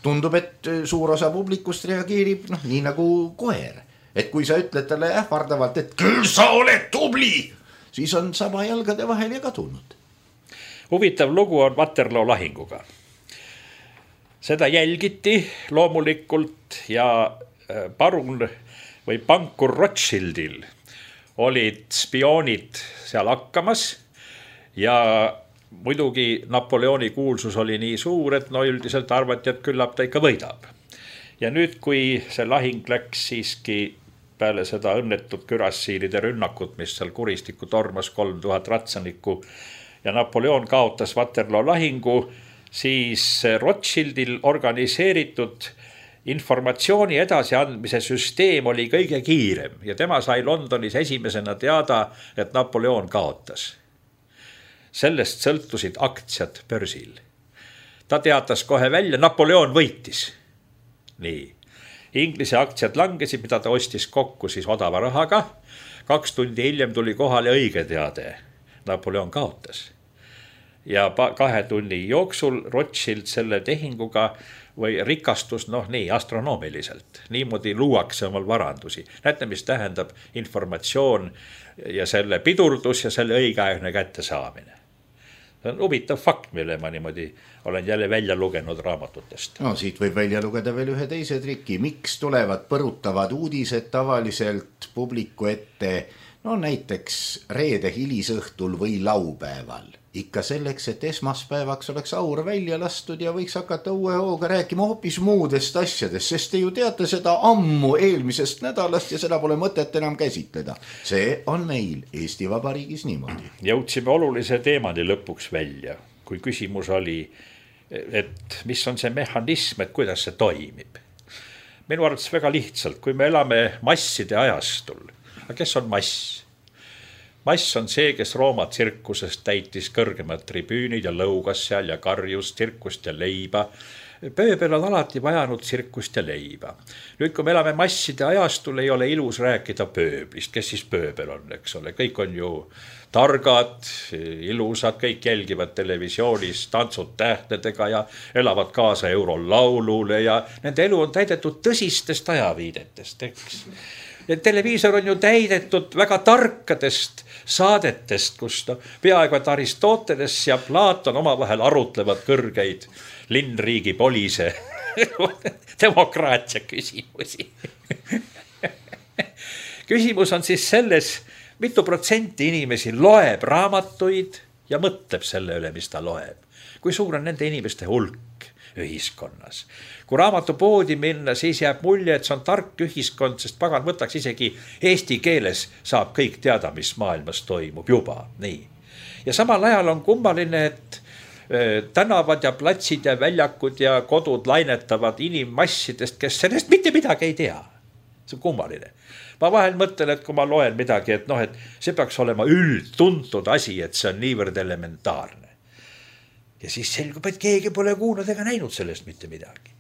B: Tundub, et suur osa publikust reageerib nii nagu koer. Et kui sa ütled talle ähvardavalt, et küll sa oled tubli, siis on saba jalgade vahel ja kadunud.
D: Huvitav lugu on Waterloo lahinguga. Seda jälgiti loomulikult ja parun või pankur Rothschildil olid spioonid seal hakkamas ja muidugi Napoleoni kuulsus oli nii suur, et üldiselt arvati, et küllap ta ikka võidab. Ja nüüd, kui see lahing läks siiski peale seda õnnetut kürassiilide rünnakut, mis seal kuristikku tormas 3000 ratsanikku ja Napoleon kaotas Waterloo lahingu, siis Rothschildil organiseeritud informatsiooni edasiandmise süsteem oli kõige kiirem ja tema sai Londonis esimesena teada, et Napoleon kaotas. Sellest sõltusid aktsiad börsil. Ta teatas kohe välja, Napoleon võitis. Nii. Inglise aktsiad langesid, mida ta ostis kokku siis odava rahaga. 2 tundi hiljem tuli kohale õige teade. Napoleon kaotas. Ja 2 tunni jooksul Rothschild selle tehinguga või rikastus, nii astronoomiliselt. Niimoodi luuakse omal varandusi. Näete, mis tähendab informatsioon ja selle pidurdus ja selle õigeaegne kättesaamine. See on huvitav fakt, mille ma niimoodi olen jälle välja lugenud raamatutest.
B: No siit võib välja lugeda veel ühe teise triki. Miks tulevad põrutavad uudised tavaliselt publiku ette, näiteks reede hilisõhtul või laupäeval? Ikka selleks, et esmaspäevaks oleks aur välja lastud ja võiks hakata uue hooga rääkima hoopis muudest asjadest, sest te ju teate seda ammu eelmisest nädalast ja seda pole mõtet enam käsitleda. See on meil Eesti Vabariigis niimoodi.
D: Jõudsime olulise teemani lõpuks välja, kui küsimus oli, et mis on see mehhanism, et kuidas see toimib. Minu arvates väga lihtsalt, kui me elame masside ajastul, kes on mass? Mass on see, kes Rooma tsirkusest täitis kõrgemad tribüünid ja lõugas seal ja karjus tsirkust ja leiba. Pööbel on alati vajanud tsirkust ja leiba. Nüüd, kui me elame masside ajastul, ei ole ilus rääkida pööblist. Kes siis pööbel on, eks ole? Kõik on ju targad, ilusad, kõik jälgivad televisioonis tantsud tähtedega ja elavad kaasa eurolaulule ja nende elu on täidetud tõsistest ajaviidetest, eks. Ja televiisor on ju täidetud väga tarkadest saadetest, kus peaaegu et Aristoteles ja Platon omavahel arutlevad kõrgeid linnriigi polise demokraatia küsimusi. Küsimus on siis selles, mitu protsenti inimesi loeb raamatuid ja mõtleb selle üle, mis ta loeb. Kui suur on nende inimeste hulk ühiskonnas. Kui raamatupoodi minna, siis jääb mulje, et see on tark ühiskond, sest pagan võtaks isegi eesti keeles saab kõik teada, mis maailmas toimub juba. Nii. Ja samal ajal on kummaline, et tänavad ja platsid ja väljakud ja kodud lainetavad inimmassidest, kes sellest mitte midagi ei tea. See on kummaline. Ma vahel mõtlen, et kui ma loen midagi, et see peaks olema üldtuntud asi, et see on niivõrd elementaarne. Ja siis selgub, et keegi pole kuulnud ega näinud sellest mitte midagi.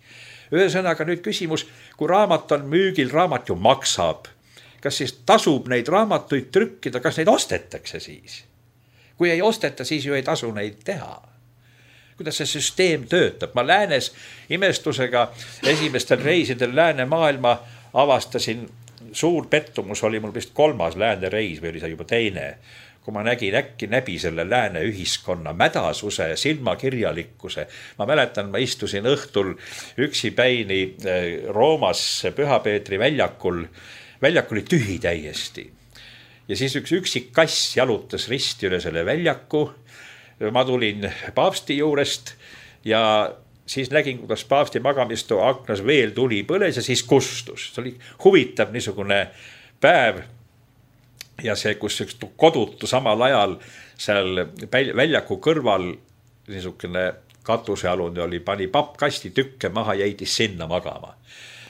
D: Ühesõnaga nüüd küsimus, kui raamat on müügil, raamat ju maksab. Kas siis tasub neid raamatuid trükkida, kas neid ostetakse siis? Kui ei osteta, siis ju ei tasu neid teha. Kuidas see süsteem töötab? Ma läänes imestusega esimestel reisidel lääne maailma avastasin, suur pettumus oli mul vist 3. lääne reis või oli see juba teine. Kui ma nägin äkki läbi selle lääne ühiskonna mädasuse, silmakirjalikkuse. Ma mäletan, ma istusin õhtul üksipäini Roomas Püha Peetri väljakul. Väljak oli tühi täiesti. Ja siis üks üksik kass jalutas risti üle selle väljaku. Ma tulin paavsti juurest ja siis nägin, kuidas paavsti magamistu aknas veel tuli põles ja siis kustus. See oli huvitav niisugune päev. Ja see, kus üks kodutu samal ajal seal väljaku kõrval niisugune katusealune oli, pani pappkasti tükke maha ja jäidis sinna magama.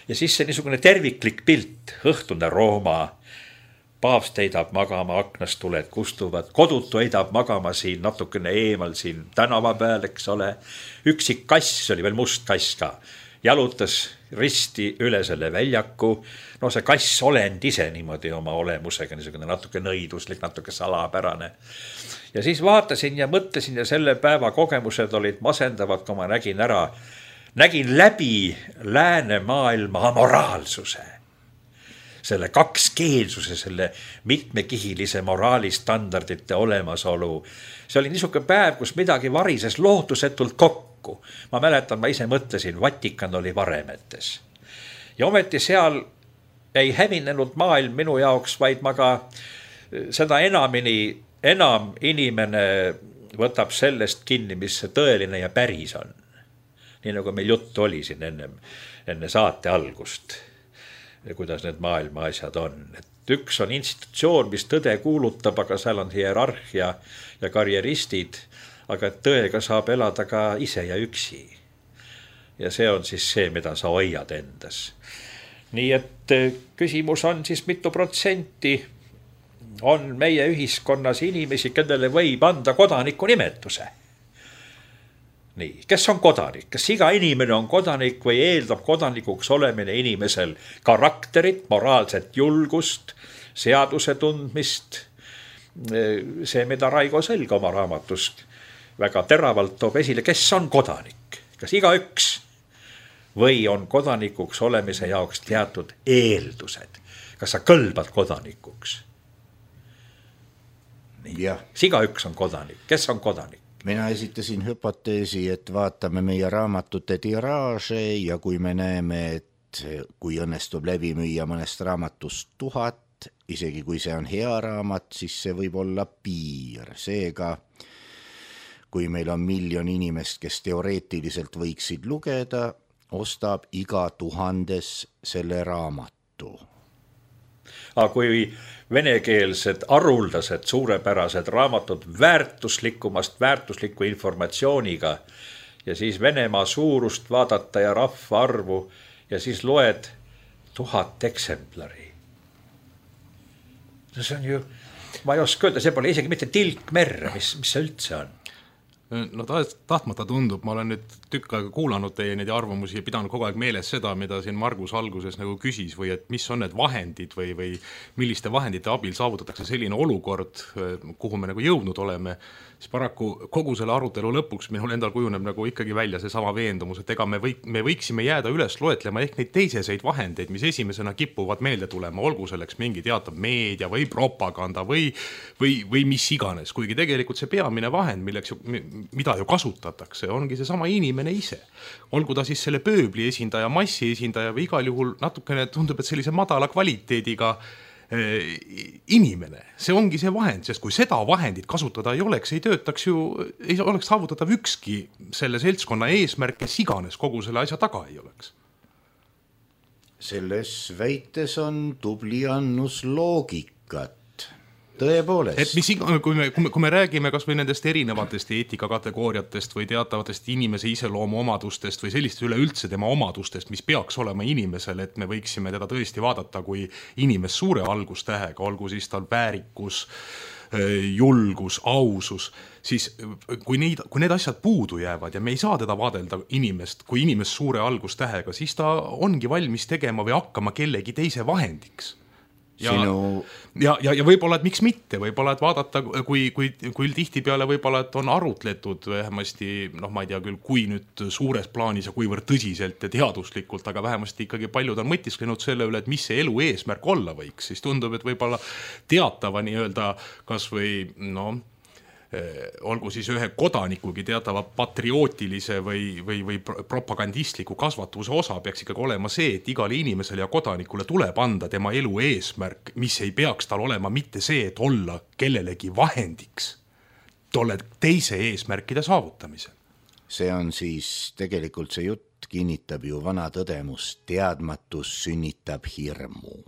D: Ja siis see niisugune terviklik pilt, õhtune Rooma, paavst heidab magama, aknast tuled kustuvad, kodutu heidab magama siin natukene eemal siin tänava peal, eks ole. Üksik kass, see oli veel must kass ka, jalutas risti üle selle väljaku. See kass olend ise niimoodi oma olemusega, niisugune natuke nõiduslik, natuke salapärane. Ja siis vaatasin ja mõtlesin ja selle päeva kogemused olid masendavad, kui ma nägin läbi lääne maailma amoraalsuse. Selle kakskeelsuse, selle mitmekihilise moraalistandardite olemasolu. See oli niisugune päev, kus midagi varises lootusetult kokku. Ma mäletan, ma ise mõtlesin, Vatikan oli varemetes. Ja ometi seal ei hävinenud maailm minu jaoks, vaid ma ka seda enam inimene võtab sellest kinni, mis see tõeline ja päris on. Nii nagu meil juttu oli siin enne saate algust, kuidas need maailma asjad on. Et üks on institutsioon, mis tõde kuulutab, aga seal on hierarhia ja karjeristid, aga tõega saab elada ka ise ja üksi. Ja see on siis see, mida sa hoiad endas. Nii et küsimus on siis mitu protsenti on meie ühiskonnas inimesi, kellele võib anda kodaniku nimetuse. nii, kes on kodanik, kas iga inimene on kodanik või eeldab kodanikuks olemine inimesel karakterit, moraalset julgust, seaduse tundmist? See, mida Raigo Selg oma raamatust väga teravalt toob esile, kes on kodanik, kas igaüks või on kodanikuks olemise jaoks teatud eeldused, kas sa kõlbad kodanikuks? Kas igaüks on kodanik, kes on kodanik?
B: Mina esitasin hüpoteesi, et vaatame meie raamatute tiraaže ja kui me näeme, et kui õnnestub läbi müüa mõnest raamatust 1000, isegi kui see on hea raamat, siis see võib olla piir. Seega, kui meil on 1 miljon inimest, kes teoreetiliselt võiksid lugeda, ostab iga 1000 selle raamatu.
D: Aga kui venekeelsed, haruldased, suurepärased raamatud väärtusliku informatsiooniga ja siis Venemaa suurust vaadata ja rahvaarvu ja siis loed 1000 eksemplari. See on ju, ma ei oska öelda, see pole isegi mitte tilk merre, mis see üldse on?
C: No tahtmata tundub, ma olen nüüd tükk aega kuulanud teie neid arvamusi ja pidanud kogu aeg meeles seda, mida siin Margus alguses nagu küsis või et mis on need vahendid või milliste vahendite abil saavutatakse selline olukord, kuhu me nagu jõudnud oleme, siis paraku kogu selle arutelu lõpuks minul endal kujuneb nagu ikkagi välja see sama veendumus, et ega me võiksime jääda üles loetlema ehk neid teiseseid vahendeid, mis esimesena kippuvad meelde tulema, olgu selleks mingi teatav meedia või propaganda või mis iganes, kuigi tegelikult see peamine vahend, mida ju kasutatakse, ongi see sama inimene ise. Olgu ta siis selle pööbli esindaja, massi esindaja või igal juhul natukene tundub, et sellise madala kvaliteediga inimene. See ongi see vahend, sest kui seda vahendit kasutada ei oleks, ei töötaks ju, ei oleks saavutatav ükski selle seltskonna eesmärk, kes iganes kogu selle asja taga ei oleks.
B: Selles väites on tubli annus loogikat. Tõepoolest.
C: Et kui me räägime kas või nendest erinevatest eetikakategooriatest või teatavatest inimese iseloomu omadustest või sellist üleüldse tema omadustest, mis peaks olema inimesel, et me võiksime teda tõesti vaadata kui inimest suure algustähega, olgu siis tal väärikus, julgus, ausus, siis kui need asjad puudu jäävad ja me ei saa teda vaadelda inimest kui inimest suure algustähega, siis ta ongi valmis tegema või hakkama kellegi teise vahendiks. Ja võib-olla, et miks mitte, võib-olla, et vaadata, kui tihtipeale võib-olla, et on arutletud vähemasti, ma ei tea küll, kui nüüd suures plaanis ja kuivõrd tõsiselt ja teaduslikult, aga vähemasti ikkagi paljud on mõtisklenud selle üle, et mis see elu eesmärk olla võiks, siis tundub, et võib-olla teatava nii-öelda kas või, olgu siis ühe kodanikugi teatava patriootilise või propagandistliku kasvatuse osa peaks ikkagi olema see, et igale inimesele ja kodanikule tuleb anda tema elu eesmärk, mis ei peaks tal olema mitte see, et olla kellelegi vahendiks tolle teise eesmärkide saavutamisel.
B: See on siis tegelikult see jutt kinnitab ju vana tõdemus, teadmatus sünnitab hirmu.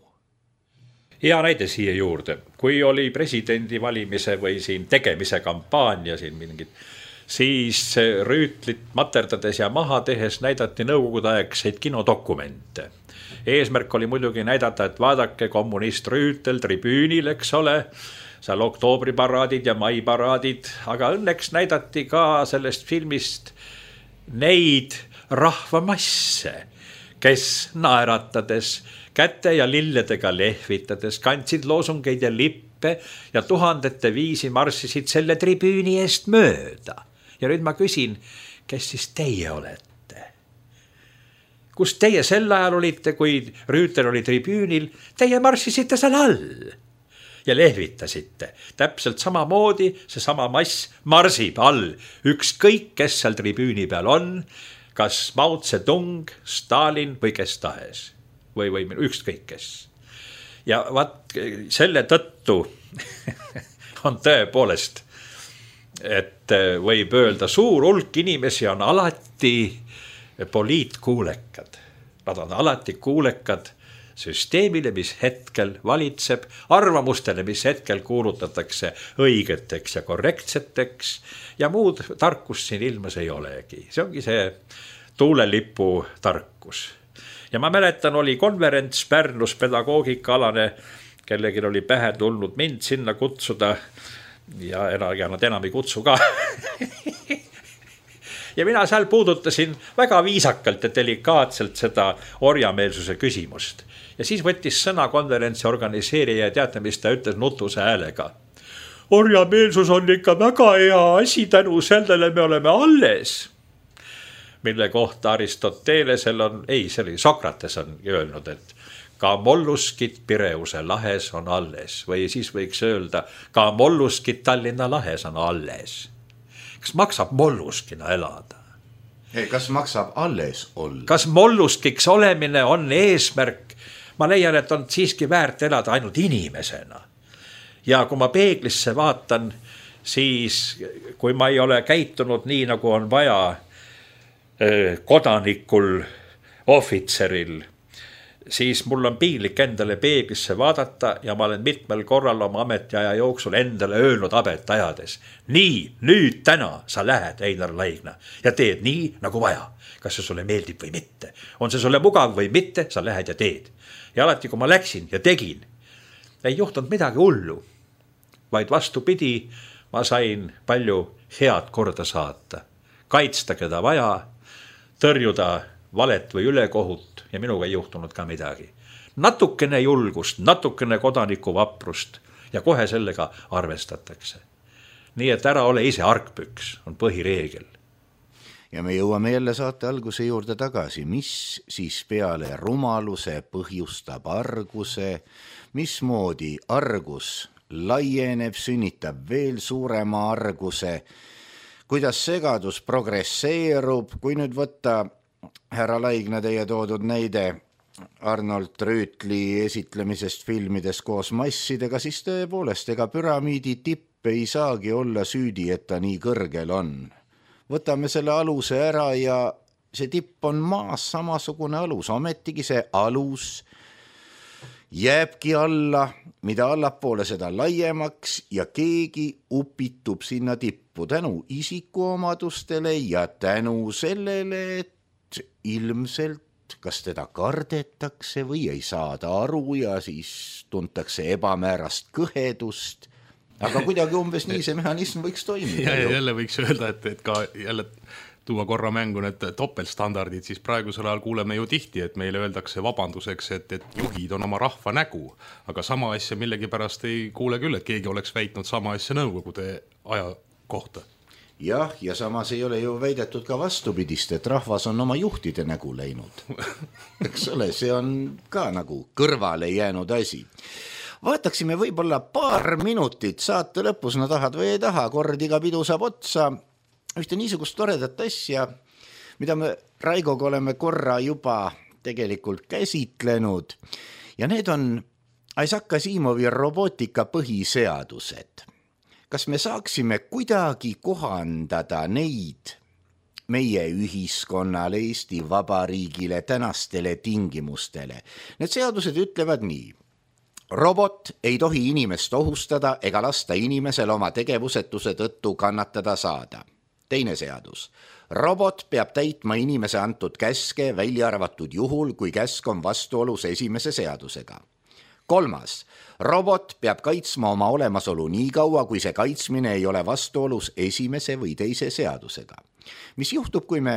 D: Hea näide siia juurde, kui oli presidendi valimise või siin tegemise kampaania siin mingid, siis Rüütlit materdades ja maha tehes näidati nõukogudeaegseid kinodokumente. Eesmärk oli muidugi näidata, et vaadake kommunist Rüütel tribüünil, eks ole, seal oktoobriparaadid ja maiparaadid, aga õnneks näidati ka sellest filmist neid rahvamasse, kes naeratades käte ja lilledega lehvitades kandsid loosungeid ja lippe ja tuhandete viisi marssisid selle tribüüni eest mööda. Ja nüüd ma küsin, kes siis teie olete? Kus teie sel ajal olite, kui Rüütel oli tribüünil? Teie marssisite seal all ja lehvitasite. Täpselt samamoodi see sama mass marsib all. Ükskõik, kes seal tribüüni peal on, kas Mao Zedong, Stalin või kes tahes. Või ükskõik kes. Ja vaat selle tõttu on tõepoolest, et võib öelda, suur hulk inimesi on alati poliitkuulekad. Nad on alati kuulekad süsteemile, mis hetkel valitseb, arvamustele, mis hetkel kuulutatakse õigeteks ja korrektseteks ja muud tarkust siin ilmas ei olegi. See ongi see tuulelipu tarkus. Ja ma mäletan, oli konverents Pärnus pedagoogikaalane, kellegi oli pähe tulnud mind sinna kutsuda ja nad enam ei kutsu ka. ja mina seal puudutasin väga viisakalt ja delikaatselt seda orjameelsuse küsimust. Ja siis võttis sõna konverentsi organiseerija ja teate, mis ta ütles nutuse häälega. Orjameelsus on ikka väga hea asi, tänu sellele me oleme alles. Mille kohta Aristotelesel on, see oli Sokrates on öelnud, et ka molluskid Pireuse lahes on alles või siis võiks öelda, ka molluskid Tallinna lahes on alles. Kas maksab molluskina elada?
B: Kas maksab alles olla?
D: Kas molluskiks olemine on eesmärk? Ma leian, et on siiski väärt elada ainult inimesena. Ja kui ma peeglisse vaatan, siis kui ma ei ole käitunud nii, nagu on vaja kodanikul, ohvitseril, siis mul on piinlik endale peeglisse vaadata ja ma olen mitmel korral oma ametiaja jooksul endale öelnud abet ajades. Nii, nüüd täna sa lähed, Einar Laigna, ja teed nii, nagu vaja. Kas see sulle meeldib või mitte? On see sulle mugav või mitte, sa lähed ja teed. Ja alati, kui ma läksin ja tegin, ei juhtunud midagi hullu, vaid vastupidi, ma sain palju head korda saata. Kaitsta, keda vaja, tõrjuda valet või ülekohut ja minuga ei juhtunud ka midagi. Natukene julgust, natukene kodaniku vaprust ja kohe sellega arvestatakse. Nii et ära ole ise argpüks, on põhireegel.
B: Ja me jõuame jälle saate alguse juurde tagasi, mis siis peale rumaluse põhjustab arguse, mismoodi argus laieneb, sünnitab veel suurema arguse, kuidas segadus progresseerub, kui nüüd võtta härra Laigna teie toodud näide Arnold Rüütli esitlemisest filmides koos massidega, siis tõepoolest, ega püramiidi tipp ei saagi olla süüdi, et ta nii kõrgel on. Võtame selle aluse ära ja see tipp on maas samasugune alus, ometigi see alus jääbki alla, mida allapoole seda laiemaks ja keegi upitub sinna tippu tänu isikuomadustele ja tänu sellele, et ilmselt kas teda kardetakse või ei saada aru ja siis tuntakse ebamäärast kõhedust, aga kuidagi umbes nii see mehhanism võiks toimida.
C: Ja jälle võiks öelda, et ka jälle tuua korra mängu need topeltstandardid, siis praegusel ajal kuuleme ju tihti, et meile öeldakse vabanduseks, et juhid on oma rahva nägu, aga sama asja millegipärast ei kuule küll, et keegi oleks väitnud sama asja nõukogude aja kohta.
B: Jah, ja samas ei ole ju väidetud ka vastupidist, et rahvas on oma juhtide nägu läinud. Eks ole, see on ka nagu kõrvale jäänud asi. Vaataksime võib-olla paar minutit saate lõpus, no tahad või ei taha, kord iga pidu saab otsa, ühte niisugust toredat asja, mida me Raigoga oleme korra juba tegelikult käsitlenud ja need on Isaac Asimovi robootika põhiseadused. Kas me saaksime kuidagi kohandada neid meie ühiskonnale, Eesti Vabariigile, tänastele tingimustele? Need seadused ütlevad nii. Robot ei tohi inimest ohustada ega lasta inimesel oma tegevusetuse tõttu kannatada saada. Teine seadus. Robot peab täitma inimese antud käske, välja arvatud juhul, kui käsk on vastuolus esimese seadusega. Kolmas. Robot peab kaitsma oma olemasolu nii kaua, kui see kaitsmine ei ole vastuolus esimese või teise seadusega. Mis juhtub, kui me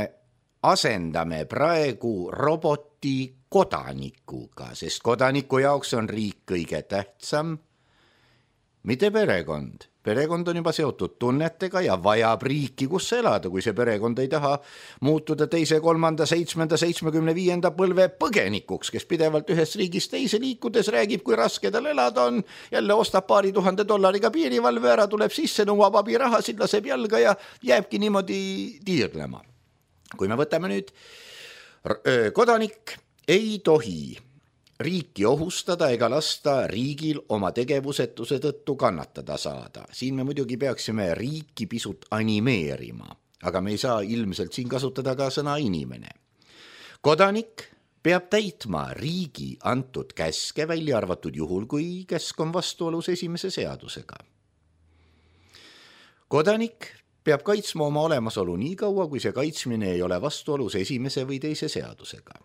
B: asendame praegu roboti kodanikuga, sest kodaniku jaoks on riik kõige tähtsam, mitte perekond. Perekond on juba seotud tunnetega ja vajab riiki, kus elada, kui see perekond ei taha muutuda 2., 3., 7., 75. põlve põgenikuks, kes pidevalt ühest riigist teise liikudes räägib, kui raske tal elada on, jälle ostab $2,000 piirivalve ära, tuleb sisse, nõuab abirahasid, laseb jalga ja jääbki niimoodi tiirlema. Kui me võtame nüüd, kodanik ei tohi riiki ohustada ega lasta riigil oma tegevusetuse tõttu kannatada saada. Siin me muidugi peaksime riiki pisut animeerima, aga me ei saa ilmselt siin kasutada ka sõna inimene. Kodanik peab täitma riigi antud käske, välja arvatud juhul, kui käsk on vastuolus esimese seadusega. Kodanik peab kaitsma oma olemasolu nii kaua, kui see kaitsmine ei ole vastuolus esimese või teise seadusega.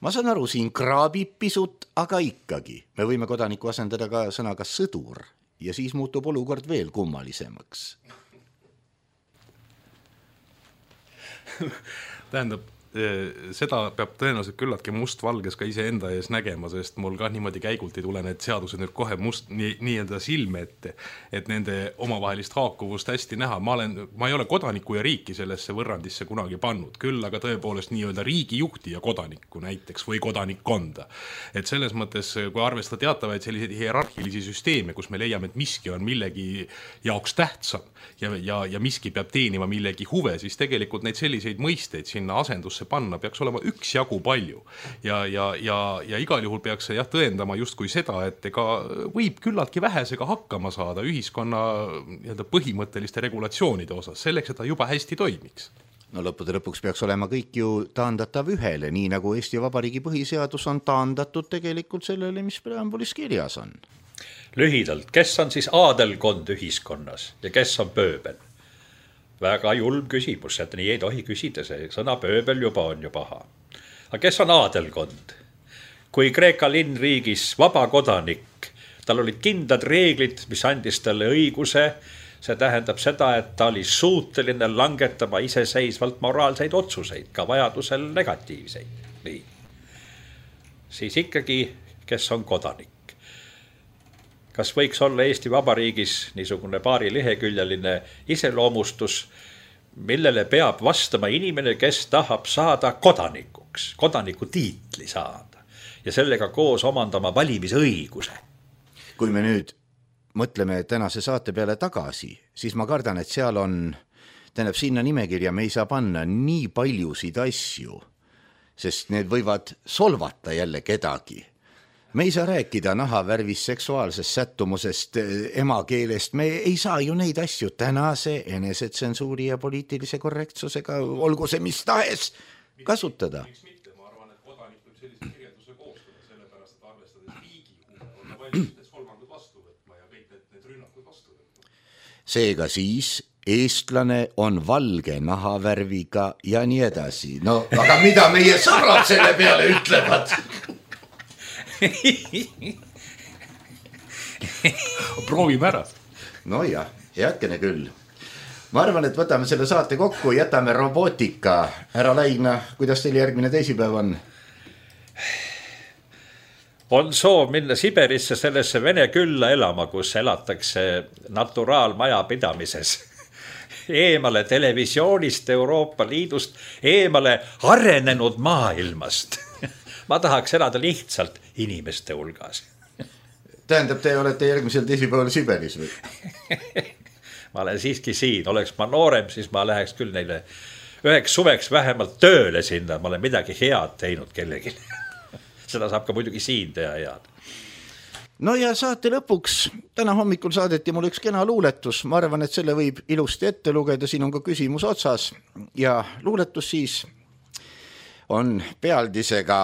B: Ma saan aru, siin kraabib pisut, aga ikkagi. Me võime kodaniku asendada ka sõnaga sõdur ja siis muutub olukord veel kummalisemaks.
C: Tähendab, seda peab tõenäoliselt küllaltki mustvalges ka iseenda ees nägema, sest mul ka niimoodi käigult ei tule need seadused nüüd kohe nii-öelda silme ette, et nende omavahelist haakuvust hästi näha. Ma ei ole kodaniku ja riiki sellesse võrrandisse kunagi pannud, küll aga tõepoolest nii-öelda riigijuhti ja kodanikku näiteks või kodanikkonda. Et selles mõttes, kui arvestada teatavaid selliseid hierarhilisi süsteeme, kus me leiame, et miski on millegi jaoks tähtsam ja miski peab teenima millegi huve, siis tegelikult neid selliseid mõisteid sinna asendusse panna peaks olema üksjagu palju ja igal juhul peaks see tõendama justkui seda, et ega võib küllaltki vähesega hakkama saada ühiskonna põhimõtteliste regulatsioonide osas, selleks, et ta juba hästi toimiks.
B: No lõppude lõpuks peaks olema kõik ju taandatav ühele, nii nagu Eesti Vabariigi põhiseadus on taandatud tegelikult sellele, mis preambulis kirjas on.
D: Lühidalt, kes on siis aadelkond ühiskonnas ja kes on pööbel? Väga julm küsimus, et nii ei tohi küsida, see sõna pööbel juba on ju paha. Aga kes on aadelkond? Kui Kreeka linnriigis vaba kodanik, tal olid kindlad reeglid, mis andis talle õiguse, see tähendab seda, et ta oli suuteline langetama iseseisvalt moraalseid otsuseid, ka vajadusel negatiivseid. Nii. Siis ikkagi, kes on kodanik? Kas võiks olla Eesti Vabariigis niisugune paari leheküljeline iseloomustus, millele peab vastama inimene, kes tahab saada kodanikuks, kodaniku tiitli saada ja sellega koos omandama valimisõiguse?
B: Kui me nüüd mõtleme tänase saate peale tagasi, siis ma kardan, et seal on, tähendab sinna nimekirja me ei saa panna nii paljusid asju, sest need võivad solvata jälle kedagi. Me ei saa rääkida nahavärvist, seksuaalsest sättumusest, emakeelest, me ei saa ju neid asju tänase enesetsensuuri ja poliitilise korrektsusega, olgu see mis tahes, kasutada.
C: Miks mitte? Ma arvan, et kodanik võib sellise kirjelduse koostada, sellepärast, et arvestades riigi huve, on ta valmis need solvangud vastu võtma ja kõik need rünnakud vastu võtma.
B: Seega siis eestlane on valge nahavärviga ja nii edasi. No, aga mida meie sõbrad selle peale ütlevad?
C: Proovime ära.
B: No jah, heakene küll. Ma arvan, et võtame selle saate kokku, jätame robootika. Härra Laigna, kuidas teil järgmine teisipäev on?
D: On soov minna Siberisse sellesse Vene külla elama, kus elatakse naturaalmaja pidamises. Eemale televisioonist, Euroopa Liidust, eemale arenenud maailmast. Ma tahaks elada lihtsalt inimeste hulgas.
B: Tähendab, te olete järgmisel teisipäeval Siberis või?
D: Ma olen siiski siin, oleks ma noorem, siis ma läheks küll neile üheks suveks vähemalt tööle sinna, ma olen midagi head teinud kellegi. Seda saab ka muidugi siin teha head.
B: No ja saate lõpuks, täna hommikul saadeti mul üks kena luuletus, ma arvan, et selle võib ilusti ette lugeda, siin on ka küsimus otsas ja luuletus siis on pealdisega,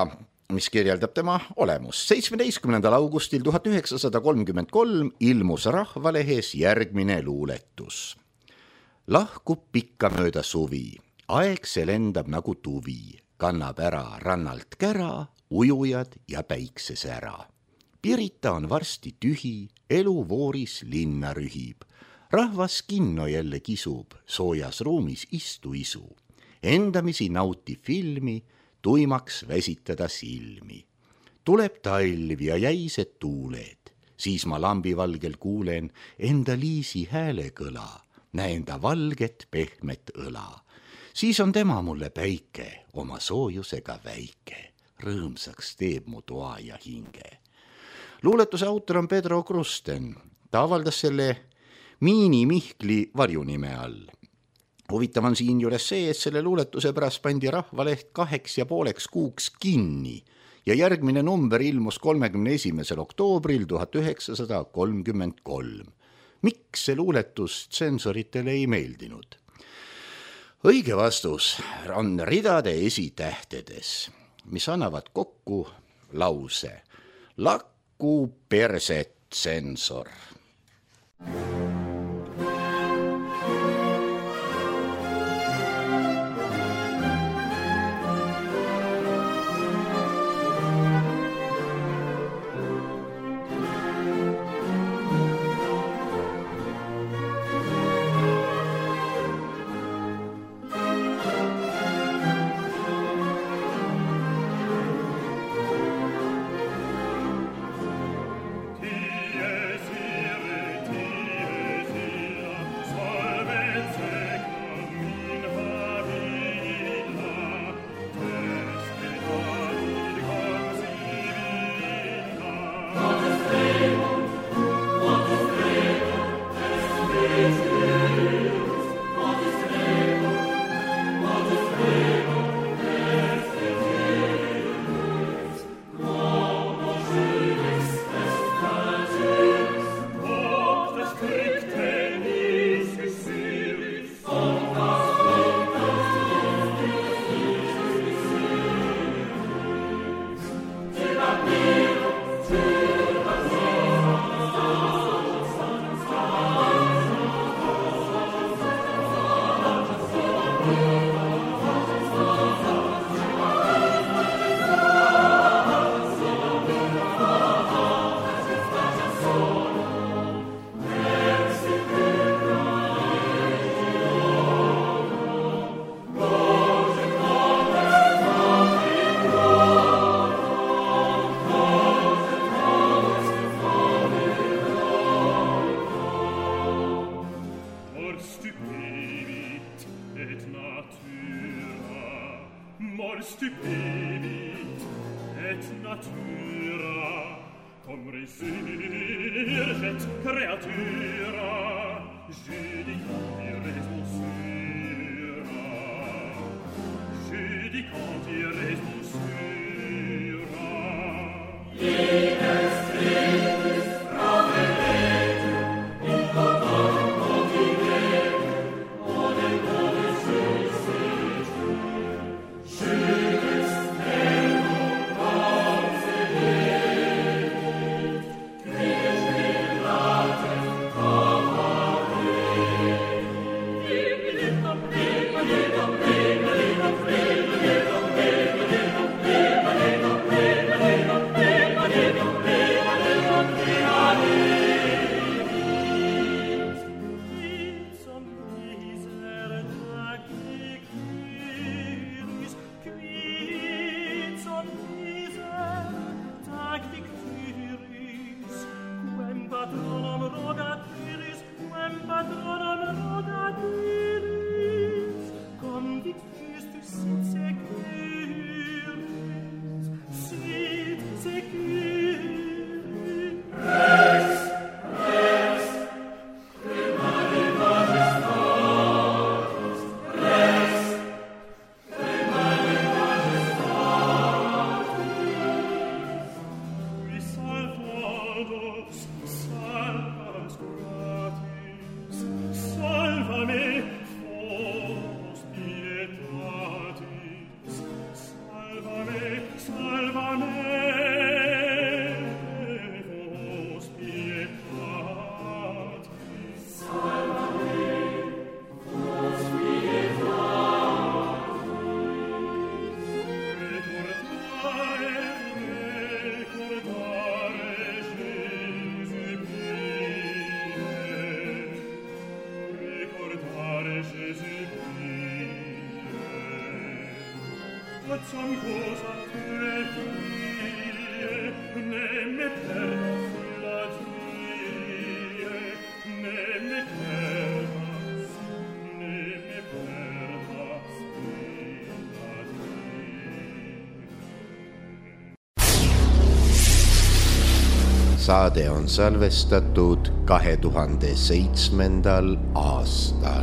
B: mis kirjeldab tema olemus. 17. augustil 1933 ilmus Rahvalehes järgmine luuletus. Lahkub pikka mööda suvi, aeg see lendab nagu tuvi, kannab ära rannalt kära, ujujad ja päiksesära. Pirita on varsti tühi, elu vooris linna rühib. Rahvas kinno jälle kisub, soojas ruumis isu. Endamisi nauti filmi, tuimaks väsitada silmi. Tuleb talv ja jäised tuuled, siis ma lambivalgel kuulen enda Liisi häälekõla, näen ta valget pehmet õla. Siis on tema mulle päike, oma soojusega väike, rõõmsaks teeb mu toa ja hinge. Luuletuse autor on Pedro Krusten, ta avaldas selle Miini Mihkli varjunime all. Huvitav on siin juures see, et selle luuletuse pärast pandi Rahvaleht 2,5 kuuks kinni ja järgmine number ilmus 31. oktoobril 1933. Miks see luuletus tsensoritele ei meeldinud? Õige vastus on ridade esitähtedes, mis annavad kokku lause Lakku perset tsensor.
A: Saade on salvestatud 2007. aastal.